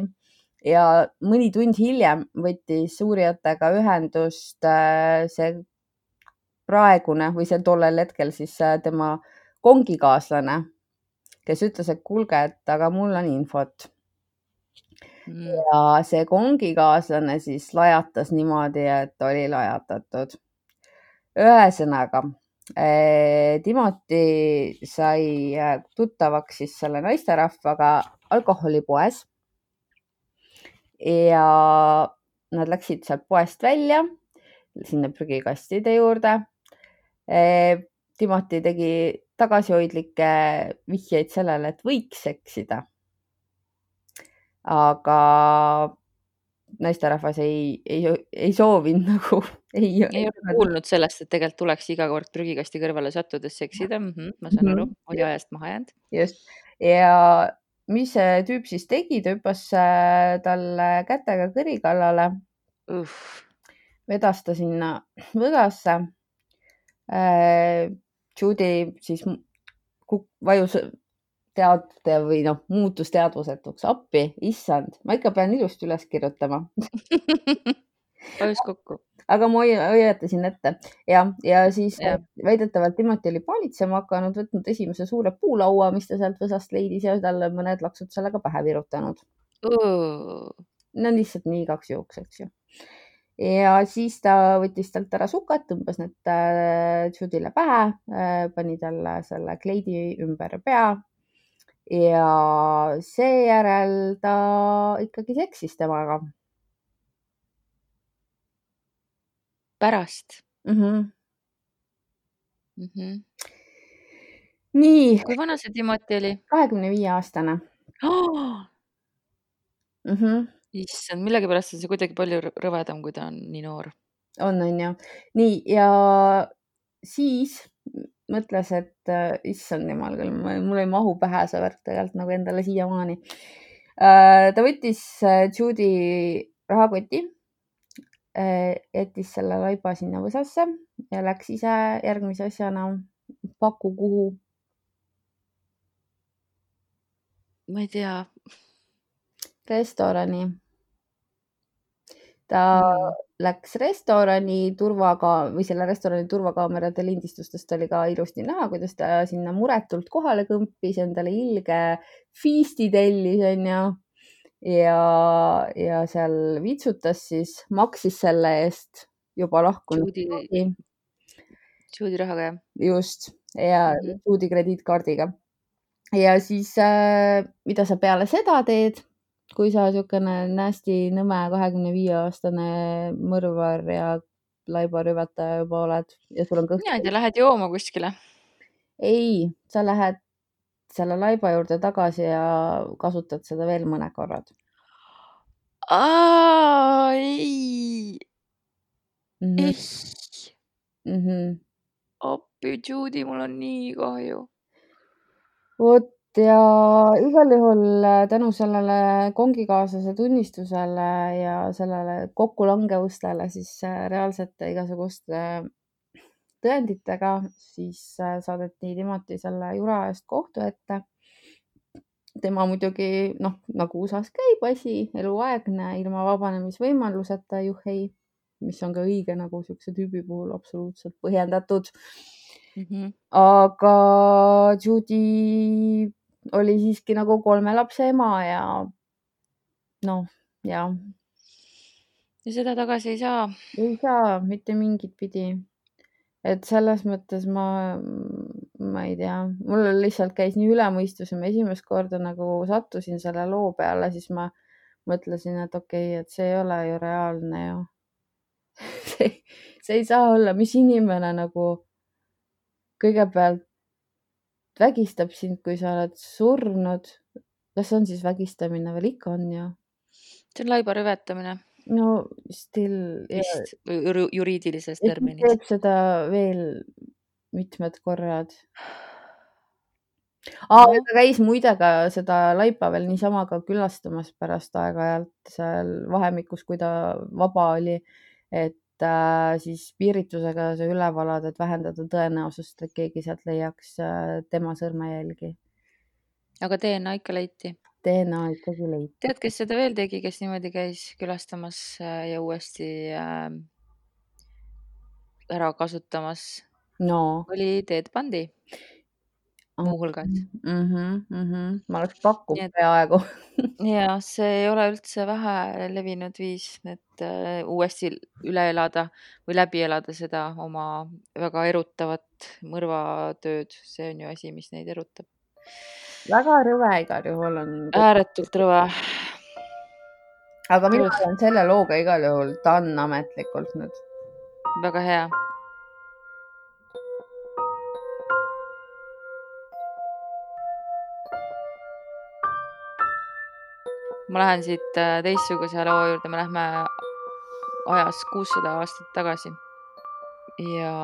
ja mõni tund hiljem võttis uurijatega ühendust see praegune või see tollel hetkel siis tema kongikaaslane, kes ütles, et kuulge, et aga mul on infot. Ja see kongikaaslane siis lajatas niimoodi, et oli lajatatud. Ühesõnaga, Timothy sai tuttavaks siis selle naisterahvaga alkoholipoes ja nad läksid sealt poest välja sinna prügikastide juurde. Timothy tegi tagasihoidlikke vihjeid sellele, et võiks seksida. Aga naisterahvas ei soovinud nagu. Ei ole kuulnud sellest, et tegelikult tuleks iga kord prügikasti kõrvale sattudes seksida. Ma saan aru, oli ajast maha jäänud. Just. Ja mis see tüüp siis tegi, ta hüppas talle kätega kõri kallale. Vedas ta sinna võdasse. Judy siis vajus või muutus teadvusetuks. Appi, issand, ma ikka pean ilusti üles kirjutama. Vajus kokku. Aga ma hoiatasin ette. Ja siis väidetavalt Timothy oli paanitsema hakanud, võtnud esimese suure puulaua, mis ta sealt võsast leidis ja talle mõned laksud sellega pähe virutanud. No lihtsalt nii igaks juhuks, eks ju. Ja siis ta võttis talt ära sukad, tõmbas need Judyle pähe, pani talle selle kleidi ümber pea ja seejärel ta ikkagi seksis temaga. Pärast? Nii. Kui vana see Timothy oli? 25-aastane. Issand, millegipärast on see kuidagi palju rõvedam, kui ta on nii noor. On ju. Nii, ja siis mõtles, et issand jumal küll, mul ei mahu pähe see värk tegelikult nagu endale siiamaani. Ta võttis Judy rahakoti, jättis selle laiba sinna võsasse ja läks ise järgmise asjana paku kuhu. Ma ei tea. Restorani. Ta läks restorani või selle restorani turvakaamerate lindistustest oli ka ilusti näha, kuidas ta sinna muretult kohale kõmpis, endale ilge feasti tellis, onju. Ja seal vitsutas siis, maksis selle eest juba lahkunud. Judy rahaga, jah? Just, ja Judy krediitkaardiga. Ja siis, mida sa peale seda teed, kui sa niisugune nasty nõme 25-aastane mõrvar ja laibarüvetaja juba oled ja sul on kõht. Mina ei tea, lähed jooma kuskile? Ei, sa lähed selle laiba juurde tagasi ja kasutad seda veel mõne korrad. Ei. Appi, Judy, mul on nii kahju. Vot ja igal juhul tänu sellele kongikaaslase tunnistusele ja sellele kokkulangevustele siis reaalsete igasuguste tõenditega siis saadeti Timothy selle jura eest kohtu ette. Tema muidugi, nagu USA-s käib asi, eluaegne, ilma vabanemisvõimaluseta juhhei, mis on ka õige nagu siukse tüübi puhul absoluutselt põhjendatud. Aga Judy oli siiski nagu 3 lapse ema ja ja. Ja seda tagasi ei saa? Ei saa mitte mingit pidi. Et selles mõttes ma ei tea, mul lihtsalt käis nii üle mõistuse, ma esimest korda nagu sattusin selle loo peale, siis ma mõtlesin, et okei, et see ei ole ju reaalne ju. See ei saa olla, mis inimene nagu kõigepealt vägistab sind, kui sa oled surnud. Kas see on siis vägistamine veel? Ikka on ju. See on laibarüvetamine. No still. Vist juriidilises terminis. Teeb seda veel mitmed korrad. Ta käis muide ka seda laipa veel niisama ka külastamas pärast aeg-ajalt seal vahemikus, kui ta vaba oli, et siis piiritusega see üle valada, et vähendada tõenäosust, et keegi sealt leiaks tema sõrmejälgi. Aga DNA ikka leiti? DNA ikkagi leiti. Tead, kes seda veel tegi, kes niimoodi käis külastamas ja uuesti ära kasutamas? Oli Ted Bundy muuhulgas. Ma oleks pakkunud peaaegu. Ja see ei ole üldse vähe levinud viis, et uuesti üle elada või läbi elada seda oma väga erutavat mõrvatööd. See on ju asi, mis neid erutab. Väga rõve igal juhul on. Ääretult rõve. Aga mina olen selle looga igal juhul done ametlikult nüüd. Väga hea. Ma lähen siit teistsuguse loo juurde, me lähme ajas 600 aastat tagasi. Ja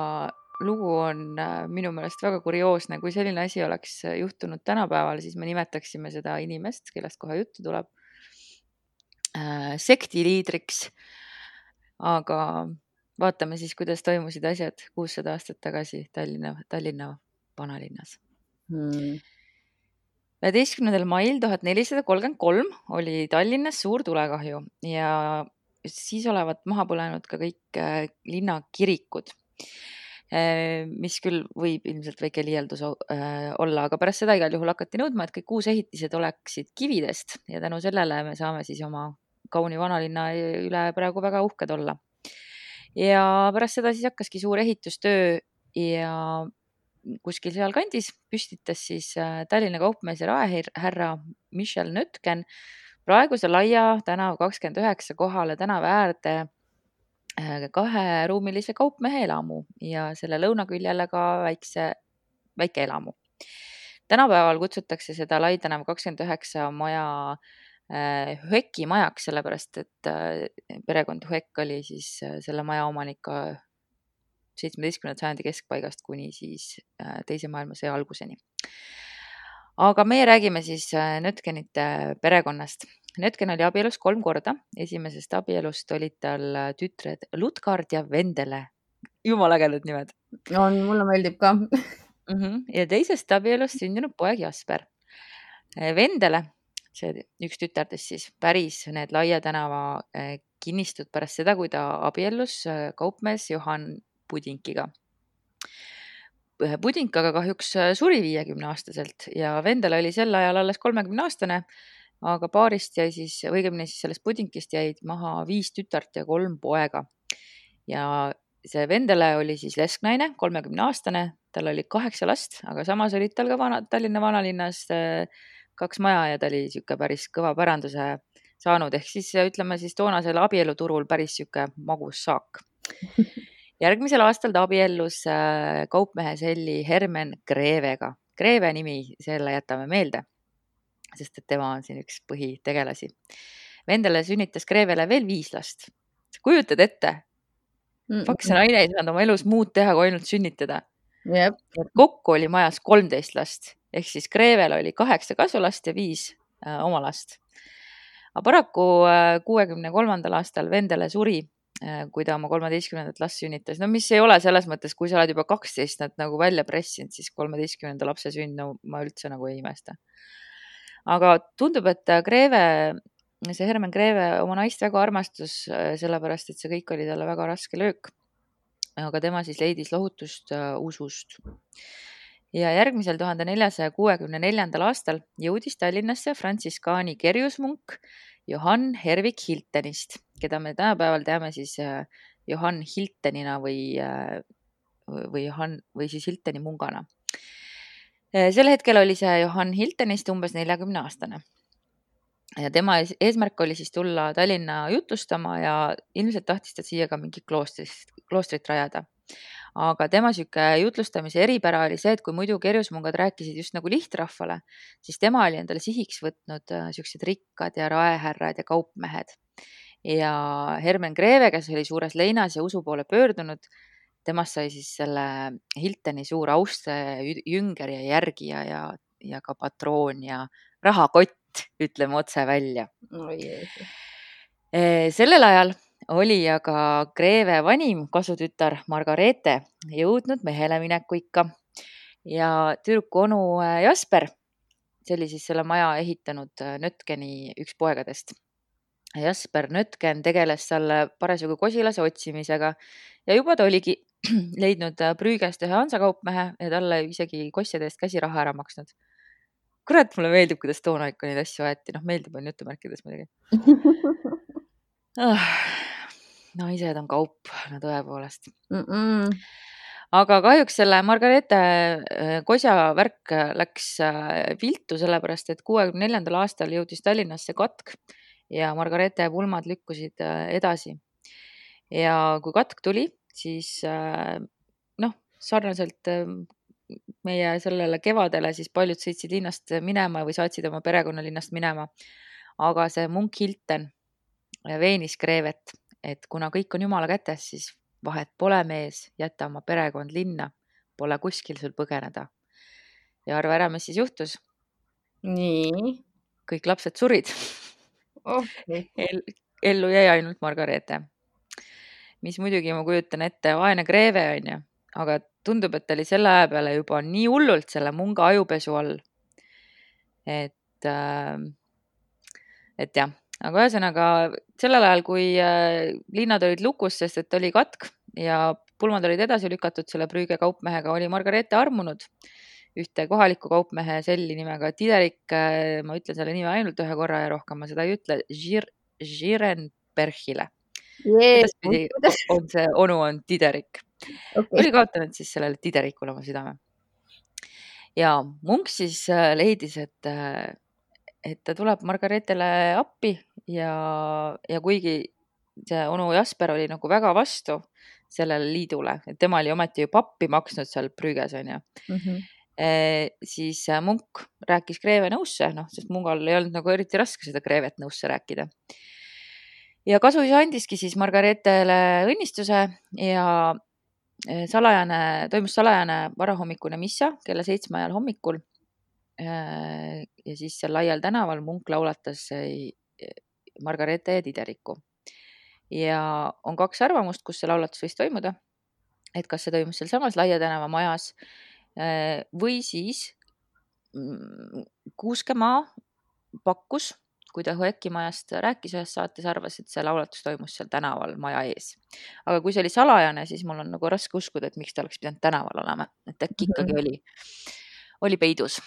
lugu on minu meelest väga kurioosne. Kui selline asi oleks juhtunud tänapäeval, siis me nimetaksime seda inimest, kellest kohe juttu tuleb, sektiliidriks. Aga vaatame siis, kuidas toimusid asjad 600 aastat tagasi Tallinna vanalinnas. 11. mail 1433 oli Tallinnas suur tulekahju ja siis olevat maha põlenud ka kõik linna kirikud, mis küll võib ilmselt väike liialdus olla, aga pärast seda igal juhul hakati nõudma, et kõik uusehitised oleksid kividest ja tänu sellele me saame siis oma kauni vanalinna üle praegu väga uhked olla. Ja pärast seda siis hakkaski suur ehitustöö ja kuskil seal kandis püstitas siis Tallinna kaupmees ja raehärra Michel Nötken praeguse Laia tänav 29 kohale tänava äärde 2-ruumilise kaupmehe elamu ja selle lõunaküljele ka väike elamu. Tänapäeval kutsutakse seda Lai tänav 29 maja Hueki majaks, sellepärast et perekond Huek oli siis selle maja omanik ka 17. sajandi keskpaigast kuni siis teise maailmasõja alguseni. Aga meie räägime siis Nötkenite perekonnast. Nötken oli abielus 3 korda. Esimesest abielust olid tal tütred Lutkard ja Vendele. Jumala ägedad nimed. Mulle meeldib ka. Ja teisest abielust sündinud poeg Jasper. Vendele, see üks tütardest siis, päris need Laia tänava kinnistud pärast seda, kui ta abiellus kaupmees Johann Budinkiga. Budink aga kahjuks suri 50-aastaselt ja Vendele oli sel ajal alles 30-aastane, aga paarist jäi siis, õigemini siis sellest Budinkist jäid maha 5 tütart ja 3 poega. Ja see Vendele oli siis lesknaine, 30-aastane, tal oli 8 last, aga samas olid tal ka Tallinna vanalinnas 2 maja ja ta oli siuke päris kõva päranduse saanud, ehk siis ütleme siis toonasel abieluturul päris siuke magus saak. Järgmisel aastal ta abiellus kaupmehe selli Hermen Grevega. Greve nimi, selle jätame meelde, sest et tema on siin üks põhitegelasi. Vendele sünnitas Grevele veel 5 last. Kujutad ette? Faks naine ei saanud oma elus muud teha, kui ainult sünnitada. Jep. Kokku oli majas 13 last, ehk siis Grevel oli 8 kasulast ja 5 oma last. Aga paraku 63. aastal Vendele suri, kui ta oma 13. last sünnitas. No mis ei ole selles mõttes, kui sa oled juba 12 nad nagu välja pressinud, siis 13. lapse sünd, no ma üldse nagu ei imesta. Aga tundub, et see Hermen Greve oma naist väga armastus, sellepärast, et see kõik oli talle väga raske löök. Aga tema siis leidis lohutust usust. Ja järgmisel 1464. aastal jõudis Tallinnasse frantsiskaani kerjusmunk Johann Hervik Hiltenist, keda me tänapäeval teame siis Johann Hiltenina või siis Hilteni mungana. Sel hetkel oli see Johann Hiltenist umbes 40-aastane. Ja tema eesmärk oli siis tulla Tallinna jutlustama ja ilmselt tahtis ta siia ka mingi kloostrit rajada. Aga tema siuke jutlustamise eripära oli see, et kui muidu kerjusmungad rääkisid just nagu lihtrahvale, siis tema oli endale sihiks võtnud siuksed rikkad ja raehärrad ja kaupmehed. Ja Hermen Greve, kes oli suures leinas ja usu poole pöördunud, temast sai siis selle Hilteni suur austaja, jünger ja järgija ja ka patroon ja rahakott, ütleme otse välja. Sellel ajal oli aga Greve vanim kasutütar Margareete jõudnud mehele mineku ikka ja tüdruku onu Jasper, see oli siis selle maja ehitanud Nötkeni üks poegadest. Jasper Nötken tegeles selle parasjagu kosilase otsimisega ja juba ta oligi leidnud Prügest ühe hansakaupmehe ja talle isegi kosside eest käsiraha ära maksnud. Kurat, mulle meeldib, kuidas toona ikka neid asju aeti. Meeldib on jutumärkides muidugi. Naised on kaup, no tõepoolest. Aga kahjuks selle Margareete kosja värk läks viltu, sellepärast et 64. aastal jõudis Tallinnasse katk ja Margareete pulmad lükkusid edasi. Ja kui katk tuli, siis sarnaselt meie sellele kevadele, siis paljud sõitsid linnast minema või saatsid oma perekonna linnast minema. Aga see munk Hilten veenis Grevet, et kuna kõik on Jumala kätes, siis vahet pole mees, jäta oma perekond linna, pole kuskil sul põgeneda. Ja arva ära, mis siis juhtus. Nii. Kõik lapsed surid. Ellu jäi ainult Margareete. Mis muidugi ma kujutan ette, vaene Greve on ju, aga tundub, et ta oli selle aja peale juba nii hullult selle munga ajupesu all. Et jah. Aga ühesõnaga sellel ajal, kui linnad olid lukus, sest et oli katk ja pulmad olid edasi lükatud selle Prüge kaupmehega, oli Margareete armunud ühte kohaliku kaupmehe selli nimega Tiderik, ma ütlen selle nime ainult ühe korra ja rohkem ma seda ei ütle, Žirenbergile. On see onu on Tiderik. Oli kaotanud siis sellele Tiderikule oma südame. Ja munk siis leidis, et ta tuleb Margareetele appi ja kuigi see onu Jasper oli nagu väga vastu sellele liidule, et tema oli ometi ju pappi maksnud seal Prüges on ju, siis munk rääkis Greve nõusse, sest mungal ei olnud nagu eriti raske seda Grevet nõusse rääkida. Ja kasuisa andiski siis Margareetele õnnistuse ja toimus salajane varahommikune missa kella 7 ajal hommikul. Ja siis seal laial tänaval munk laulatas Margareete ja Tideriku. Ja on 2 arvamust, kus see laulatus võis toimuda. Et kas see toimus seal samas Laia tänava majas või siis Kuuskemaa pakkus, kui ta Hoeki majast rääkis ühes saates, arvas, et see laulatus toimus seal tänaval maja ees. Aga kui see oli salajane, siis mul on nagu raske uskuda, et miks ta oleks pidanud tänaval olema. Et äkki ikkagi oli peidus.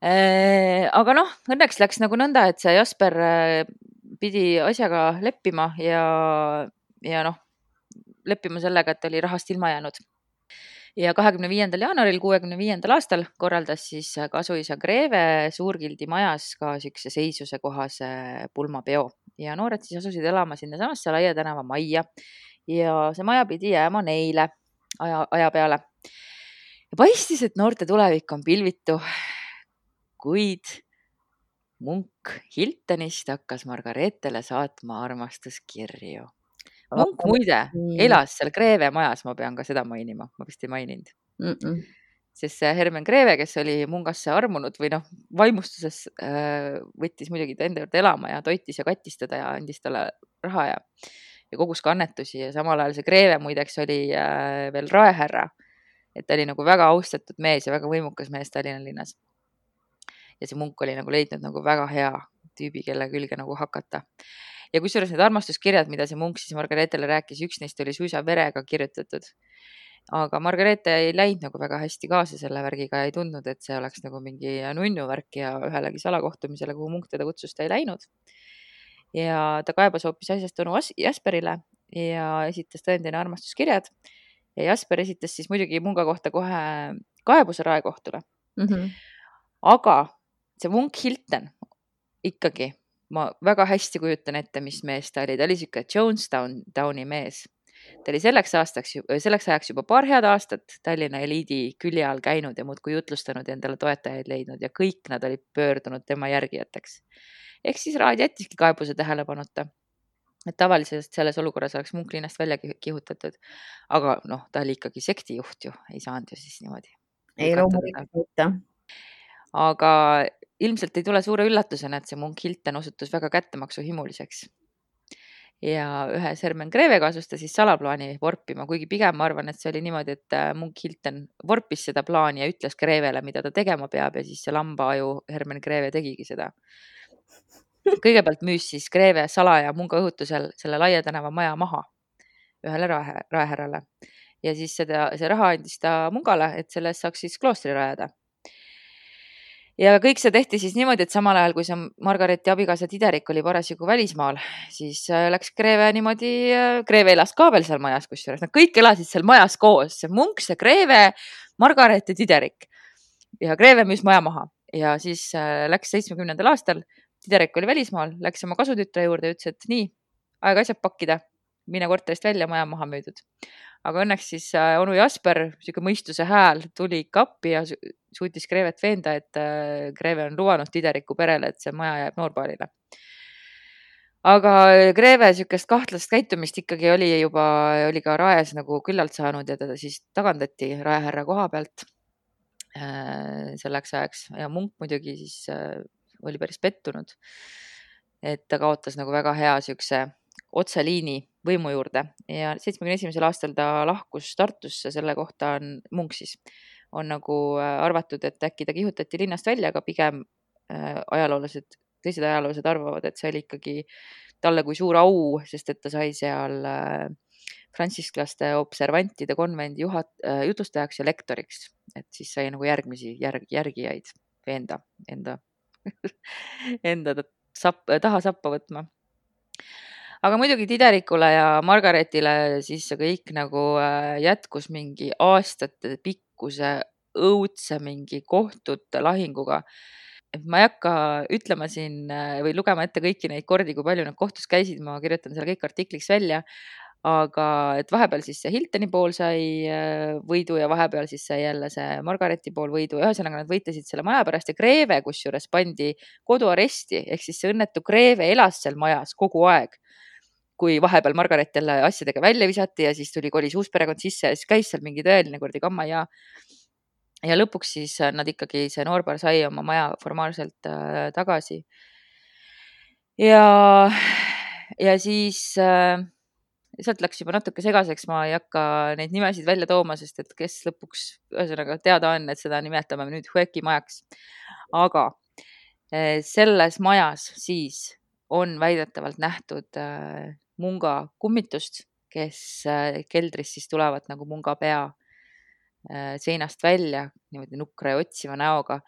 Aga noh, õnneks läks nagu nõnda, et see Jasper pidi asjaga leppima ja noh, leppima sellega, et oli rahast ilma jäänud. Ja 25. jaanuaril 65. aastal korraldas siis kasuisa Greve Suurgildi majas ka siukse seisuse kohase pulmapeo ja noored siis asusid elama sinna samasse Laia tänava majja ja see maja pidi jääma neile aja peale. Ja paistis, et noorte tulevik on pilvitu, kuid munk Hiltonist hakkas Margareetele saatma armastuskirju. Munk muide elas seal Greve majas, ma pean ka seda mainima, ma vist ei maininud. Sest see Hermen Greve, kes oli mungasse armunud või noh, vaimustuses võttis muidugi ta enda juurde elama ja toitis ja kattis teda ja andis talle raha ja kogus ka annetusi ja samal ajal see Greve muideks oli veel raehärra. Et ta oli nagu väga austatud mees ja väga võimukas mees Tallinna linnas. Ja see munk oli nagu leidnud nagu väga hea tüübi, kelle külge nagu hakata. Ja kusjuures need armastuskirjad, mida see munk siis Margareetele rääkis, üks neist oli suisa verega kirjutatud. Aga Margareete ei läinud nagu väga hästi kaasa selle värgiga ja ei tundnud, et see oleks nagu mingi nunnu värk ja ühelegi salakohtumisele, kuhu munk teda kutsus, ta ei läinud. Ja ta kaebas hoopis asjast onu Jasperile ja esitas tõendina armastuskirjad. Ja Jasper esitas siis muidugi munga kohta kohe kaebuse raekohtule. Aga see munk Hilton ikkagi, ma väga hästi kujutan ette, mis mees ta oli. Ta oli siuke Jonestowni mees. Ta oli selleks ajaks juba paar head aastat Tallinna eliidi külje all käinud ja muudkui jutlustanud ja endale toetajaid leidnud ja kõik nad olid pöördunud tema järgijateks. Ehk siis raad jättiski kaebuse tähelepanuta. Et tavaliselt selles olukorras oleks munk linnast välja kihutatud. Aga noh, ta oli ikkagi sektijuht ju, ei saanud ju siis niimoodi. Ei loomulikult. Aga ilmselt ei tule suure üllatusena, et see munk Hilton osutus väga kättemaksuhimuliseks. Ja ühes Hermen Greve kaasus ta siis salaplaani vorpima, kuigi pigem ma arvan, et see oli niimoodi, et munk Hilton vorpis seda plaani ja ütles Grevele, mida ta tegema peab ja siis see lambaaju Hermen Greve tegigi seda. Kõigepealt müüs siis Greve salaja munga õhutusel selle Laia tänava maja maha ühele raehärrale ja siis see raha andis ta mungale, et sellest saaks siis kloostri rajada. Ja kõik see tehti siis niimoodi, et samal ajal, kui see Margareeti abikaasa Tiderik oli parasjagu välismaal, siis läks Greve niimoodi, Greve elas ka veel seal majas, kusjuures nad kõik elasid seal majas koos, see munk, see Greve, Margareet ja Tiderik. Ja Greve müüs maja maha ja siis läks 70. aastal, Tiderik oli välismaal, läks oma kasutütre juurde ja ütles, et nii, aega asjad pakkida, mine korterist välja, maja maha müüdud. Aga õnneks siis onu Jasper, siuke mõistuse hääl, tuli kappi ja suutis Grevet veenda, et Greve on luvanud Tideriku perele, et see maja jääb noorbaalile. Aga Greve siukest kahtlast käitumist ikkagi oli ka raes nagu küllalt saanud ja teda siis tagandati raehärra koha pealt selleks ajaks ja munk muidugi siis oli päris pettunud, et ta kaotas nagu väga hea siukse otseliini võimu juurde ja 71. aastal ta lahkus Tartusse, selle kohta on munk siis, on nagu arvatud, et äkki ta kihutati linnast välja, aga pigem teised ajaloolased arvavad, et see oli ikkagi talle kui suur au, sest et ta sai seal frantsisklaste observantide konvendi jutlustajaks ja lektoriks, et siis sai nagu järgmisi järgijaid veenda enda taha sappa võtma. Aga muidugi Tiderikule ja Margareetile siis see kõik nagu jätkus mingi aastate pikkuse õudse mingi kohtute lahinguga. Et ma ei hakka ütlema siin või lugema ette kõiki neid kordi, kui palju nad kohtus käisid, ma kirjutan selle kõik artikliks välja. Aga et vahepeal siis see Hiltoni pool sai võidu ja vahepeal siis sai jälle see Margareeti pool võidu. Ühesõnaga nad võitlesid selle maja pärast ja Greve kusjuures pandi koduaresti, ehk siis see õnnetu Greve elas seal majas kogu aeg. kui vahepeal Margaret jälle asjadega välja visati ja siis kolis uus perekond sisse ja siis käis seal mingi tõeline kuradi kamma ja lõpuks siis nad ikkagi, see noorpaar sai oma maja formaalselt tagasi. Ja siis sealt läks juba natuke segaseks, ma ei hakka neid nimesid välja tooma, sest et kes lõpuks ühesõnaga teada on, et seda nimetame nüüd Hueki majaks. Aga selles majas siis on väidetavalt nähtud munga kummitust, kes keldris siis tulevad nagu munga pea seinast välja niimoodi nukra ja otsiva näoga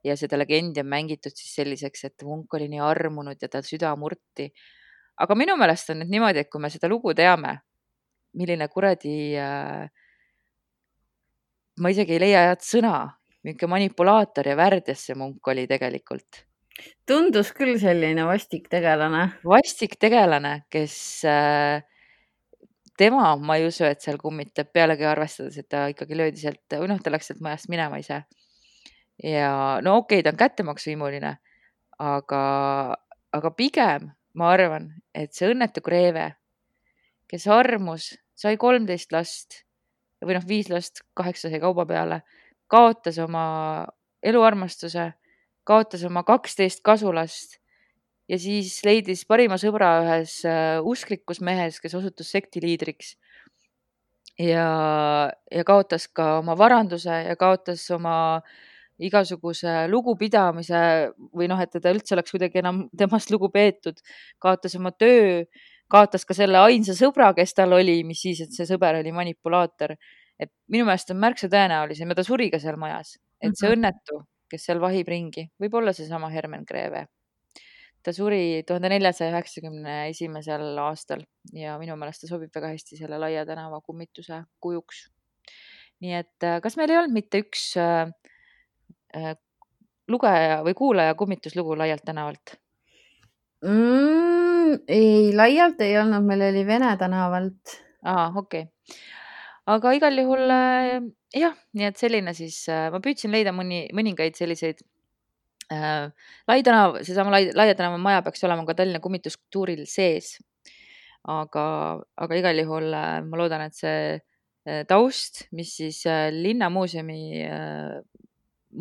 ja seda legendi on mängitud siis selliseks, et munk oli nii armunud ja ta süda murti. Aga minu meelest on nüüd niimoodi, et kui me seda lugu teame, milline kuradi, ma isegi ei leia head sõna, mingi manipulaator ja värdjas see munk oli tegelikult. Tundus küll selline vastik tegelane. Vastik tegelane, kes tema, ma ei usu, et seal kummitab, pealegi arvestades, et ta ikkagi löödi sealt, või noh, ta läks sealt majast minema ise. Ja no okei, ta on kättemaksuhimuline, aga pigem ma arvan, et see õnnetu Greve, kes armus, sai 13 last või noh, 5 last, 8 sai kauba peale, kaotas oma eluarmastuse, kaotas oma 12 kasulast ja siis leidis parima sõbra ühes usklikus mehes, kes osutus sektiliidriks ja kaotas ka oma varanduse ja kaotas oma igasuguse lugupidamise või noh, et teda üldse oleks kuidagi enam temast lugu peetud, kaotas oma töö, kaotas ka selle ainsa sõbra, kes tal oli, mis siis, et see sõber oli manipulaator. Et minu meelest on märksa tõenäolisem ja ta suri ka seal majas, et see õnnetu, kes seal vahib ringi, võib olla seesama Herman Greve. Ta suri 1491. aastal ja minu meelest ta sobib väga hästi selle Laia tänava kummituse kujuks. Nii et kas meil ei olnud mitte üks lugeja või kuulaja kummituslugu Laialt tänavalt? Ei, Laialt ei olnud, meil oli Vene tänavalt. Okei. Aga igal juhul jah, nii et selline siis, ma püüdsin leida mõningaid selliseid Lai tänav, seesama Laia tänava maja peaks olema ka Tallinna kummituskultuuril sees. Aga igal juhul ma loodan, et see taust, mis siis linnamuuseumi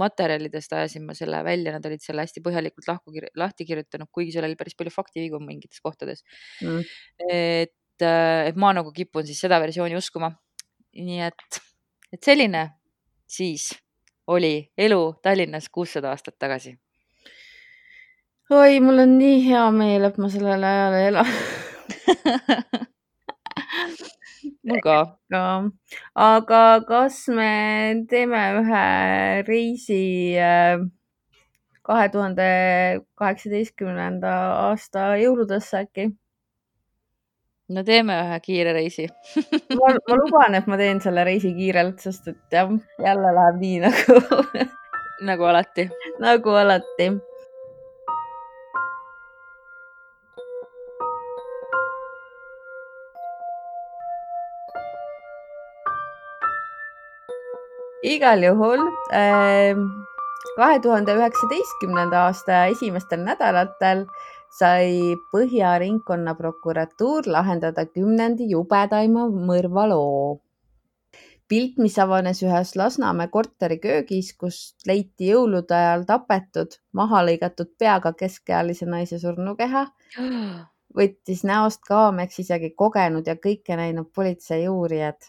materjalidest ajasin ma selle välja, nad olid selle hästi põhjalikult lahti kirjutanud, kuigi seal oli päris palju faktivigu mingites kohtades. Et ma nagu kipun siis seda versiooni uskuma. Nii et selline siis oli elu Tallinnas 600 aastat tagasi. Oi, mul on nii hea meel, et ma sellel ajal ei ela. Mul ka. Aga kas me teeme ühe reisi 2018. aasta jõuludesse äkki? No teeme ühe kiire reisi. ma luban, et ma teen selle reisi kiirelt, sest et jah, jälle läheb nii nagu alati. Nagu alati. Igal juhul 2019. aasta esimestel nädalatel sai Põhja ringkonnaprokuratuur lahendada 10. jubedaima mõrvaloo. Pilt, mis avanes ühes Lasnamäe korteri köögis, kus leiti jõulude ajal tapetud, maha lõigatud peaga keskealise naise surnukeha, võttis näost kaameks isegi kogenud ja kõike näinud politsei uurijad.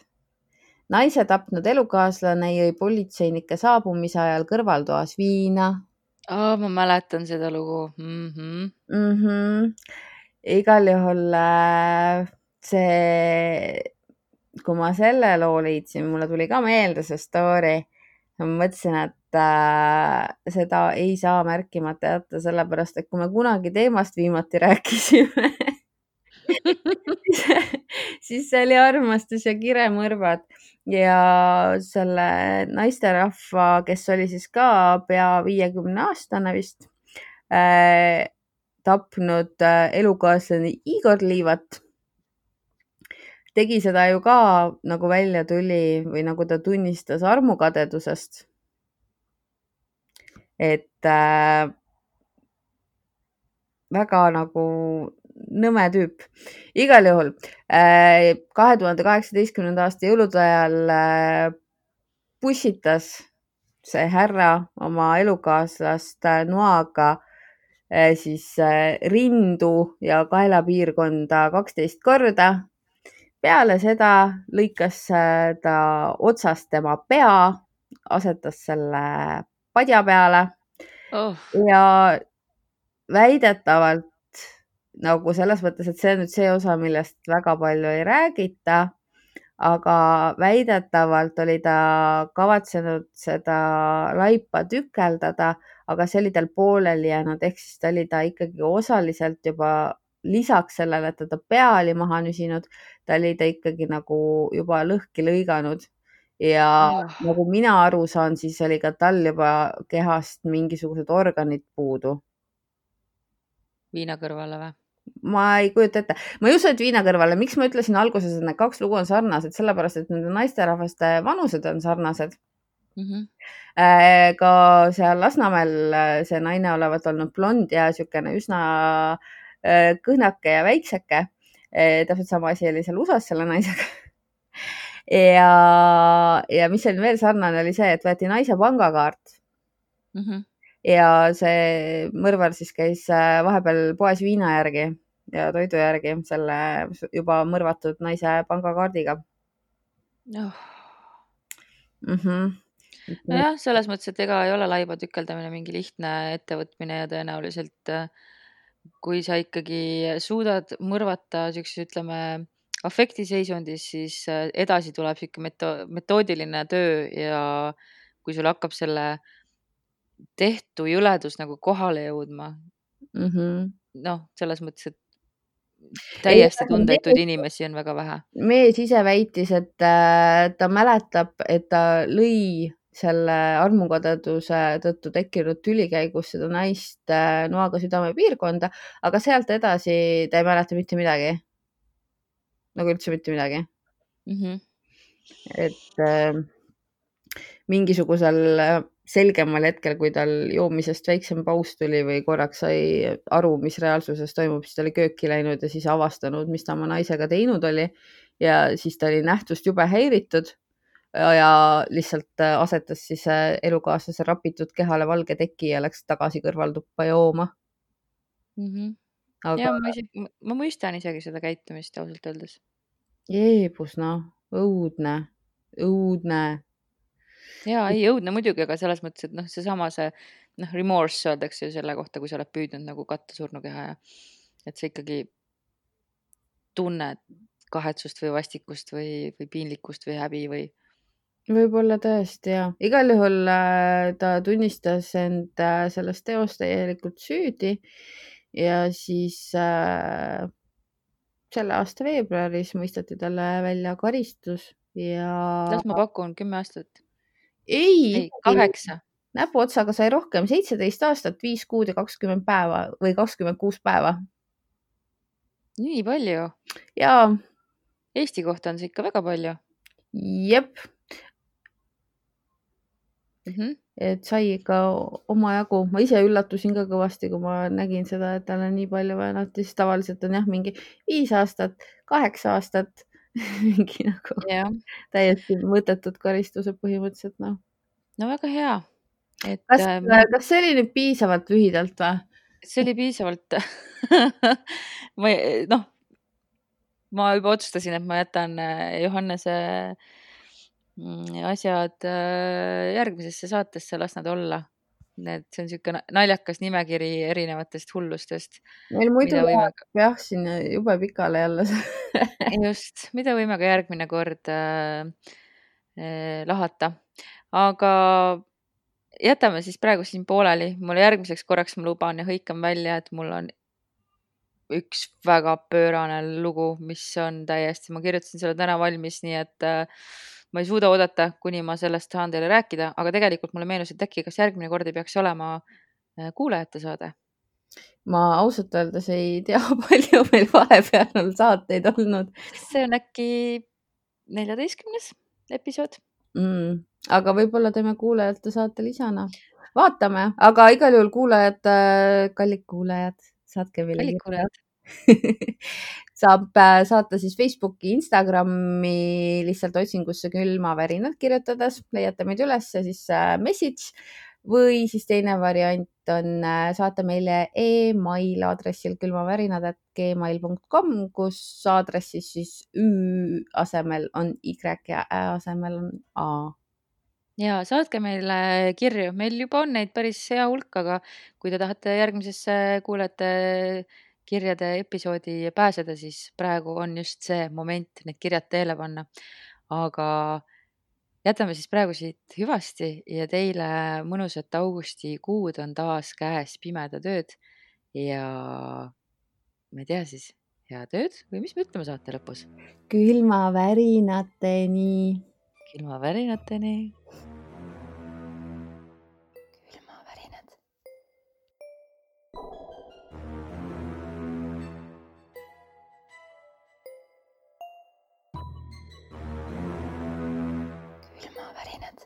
Naise tapnud elukaaslane jõi politseinike saabumise ajal kõrvaltoas viina. Ma mäletan seda lugu. Igal juhul see, kui ma selle loo leidsin, mulle tuli ka meelde see story. Ma mõtlesin, et seda ei saa märkimata jätta, sellepärast, et kui me kunagi teemast viimati rääkisime, siis see oli armastus ja kiremõrvad ja selle naisterahva, kes oli siis ka pea 50-aastane vist, tapnud elukaaslane Igor Liivat, tegi seda ju ka, nagu välja tuli või nagu ta tunnistas, armukadedusest. Et väga nagu nõme tüüp. Igal juhul 2018. aasta jõulude ajal pussitas see härra oma elukaaslast Noaga siis rindu ja kaelapiirkonda 12 korda. Peale seda lõikas ta otsast tema pea, asetas selle padja peale ja väidetavalt nagu selles mõttes, et see on nüüd see osa, millest väga palju ei räägita, aga väidetavalt oli ta kavatsenud seda laipa tükeldada, aga see oli tal pooleli jäänud, ehk siis ta oli ta ikkagi osaliselt juba lisaks sellele, et ta pea oli maha nüsinud, ta oli ta ikkagi nagu juba lõhki lõiganud ja nagu mina aru saan, siis oli ka tal juba kehast mingisugused organid puudu. Viina kõrvale või? Ma ei kujuta ette. Ma ei usu, et viina kõrvale. Miks ma ütlesin alguses, et need kaks lugu on sarnased? Sellepärast, et nende naisterahvaste vanused on sarnased. Ka seal Lasnamäel see naine olevat olnud blond ja niisugune üsna kõhnake ja väikseke. Täpselt sama asi oli seal USA-s selle naisega. Ja mis oli veel sarnane, oli see, et võeti naise pangakaart. Ja see mõrvar siis käis vahepeal poes viina järgi ja toidu järgi selle juba mõrvatud naise pangakaardiga. Nojah, selles mõttes, et ega ei ole laiba tükeldamine mingi lihtne ettevõtmine ja tõenäoliselt kui sa ikkagi suudad mõrvata siukses, ütleme, afektiseisundis, siis edasi tuleb siuke metoodiline töö ja kui sul hakkab selle tehtu jõledus nagu kohale jõudma. Noh, selles mõttes, et täiesti tundetuid inimesi on väga vähe. Mees ise väitis, et ta mäletab, et ta lõi selle armukadeduse tõttu tekkinud tüli käigus seda naist Noaga südamepiirkonda, aga sealt edasi ta ei mäleta mitte midagi. Nagu üldse mitte midagi. Et mingisugusel selgemal hetkel, kui tal joomisest väiksem paus tuli või korraks sai aru, mis reaalsuses toimub, siis ta oli kööki läinud ja siis avastanud, mis ta oma naisega teinud oli ja siis ta oli nähtust jube häiritud ja lihtsalt asetas siis elukaaslase rapitud kehale valge teki ja läks tagasi kõrvaltuppa jooma. Ja ma mõistan isegi seda käitumist ausalt öeldes. Jeebus, noh, õudne. Ja ei õudne muidugi, aga selles mõttes, et seesama remorse öeldakse ju selle kohta, kui sa oled püüdnud nagu katta surnukeha ja et sa ikkagi tunned kahetsust või vastikust või piinlikkust või häbi või. Võib-olla tõesti, ja. Igal juhul ta tunnistas end sellest teost täielikult süüdi ja siis selle aasta veebruaris mõisteti talle välja karistus ja. Las ma pakun 10 aastat. Ei, 8. Näpuotsaga sai rohkem, 17 aastat, 5 kuud ja 20 päeva või 26 päeva. Nii palju? Jaa. Eesti kohta on see ikka väga palju. Jep. Et sai ikka omajagu. Ma ise üllatusin ka kõvasti, kui ma nägin seda, et tal on nii palju väänati, siis tavaliselt on jah mingi 5 aastat, 8 aastat. Mingi nagu täiesti mõttetud karistused põhimõtteliselt, noh. No väga hea. Kas see oli nüüd piisavalt lühidalt või? See oli piisavalt. Ma juba otsustasin, et ma jätan Johannese asjad järgmisesse saatesse, las nad olla. See on siuke naljakas nimekiri erinevatest hullustest. Meil muidu läheb jah sinna jube pikale jälle. Just, mida võime ka järgmine kord lahata. Aga jätame siis praegu siin pooleli. Mulle järgmiseks korraks ma luban ja hõikan välja, et mul on üks väga pöörane lugu, mis on täiesti, ma kirjutasin selle täna valmis, nii et ma ei suuda oodata, kuni ma sellest saan teile rääkida, aga tegelikult mulle meenus, et äkki kas järgmine kord ei peaks olema kuulajate saade. Ma ausalt öeldes ei tea, palju meil vahepeal on saateid olnud. See on äkki 14. episood. Aga võib-olla teeme kuulajate saate lisana. Vaatame, aga igal juhul kuulajad, kallid kuulajad, saatke meile. saab saata siis Facebooki, Instagrami lihtsalt otsingusse külmavärinad kirjutades, leiate meid üles ja siis message või siis teine variant on saata meile email aadressil külmavärinad@gmail.com, kus aadressis siis ü asemel on y ja ä asemel on a. Ja saatke meile kirju, meil juba on neid päris hea hulk, aga kui te tahate järgmisesse kuulajate kirjade episoodi pääseda, siis praegu on just see moment need kirjad teele panna. Aga jätame siis praegu siit hüvasti ja teile mõnusat augustikuud on taas käes pimedad ööd ja ma ei tea siis, head ööd või mis me ütlema saate lõpus? Külmavärinateni. Külmavärinateni. Külmavärinad. Külmavärinad.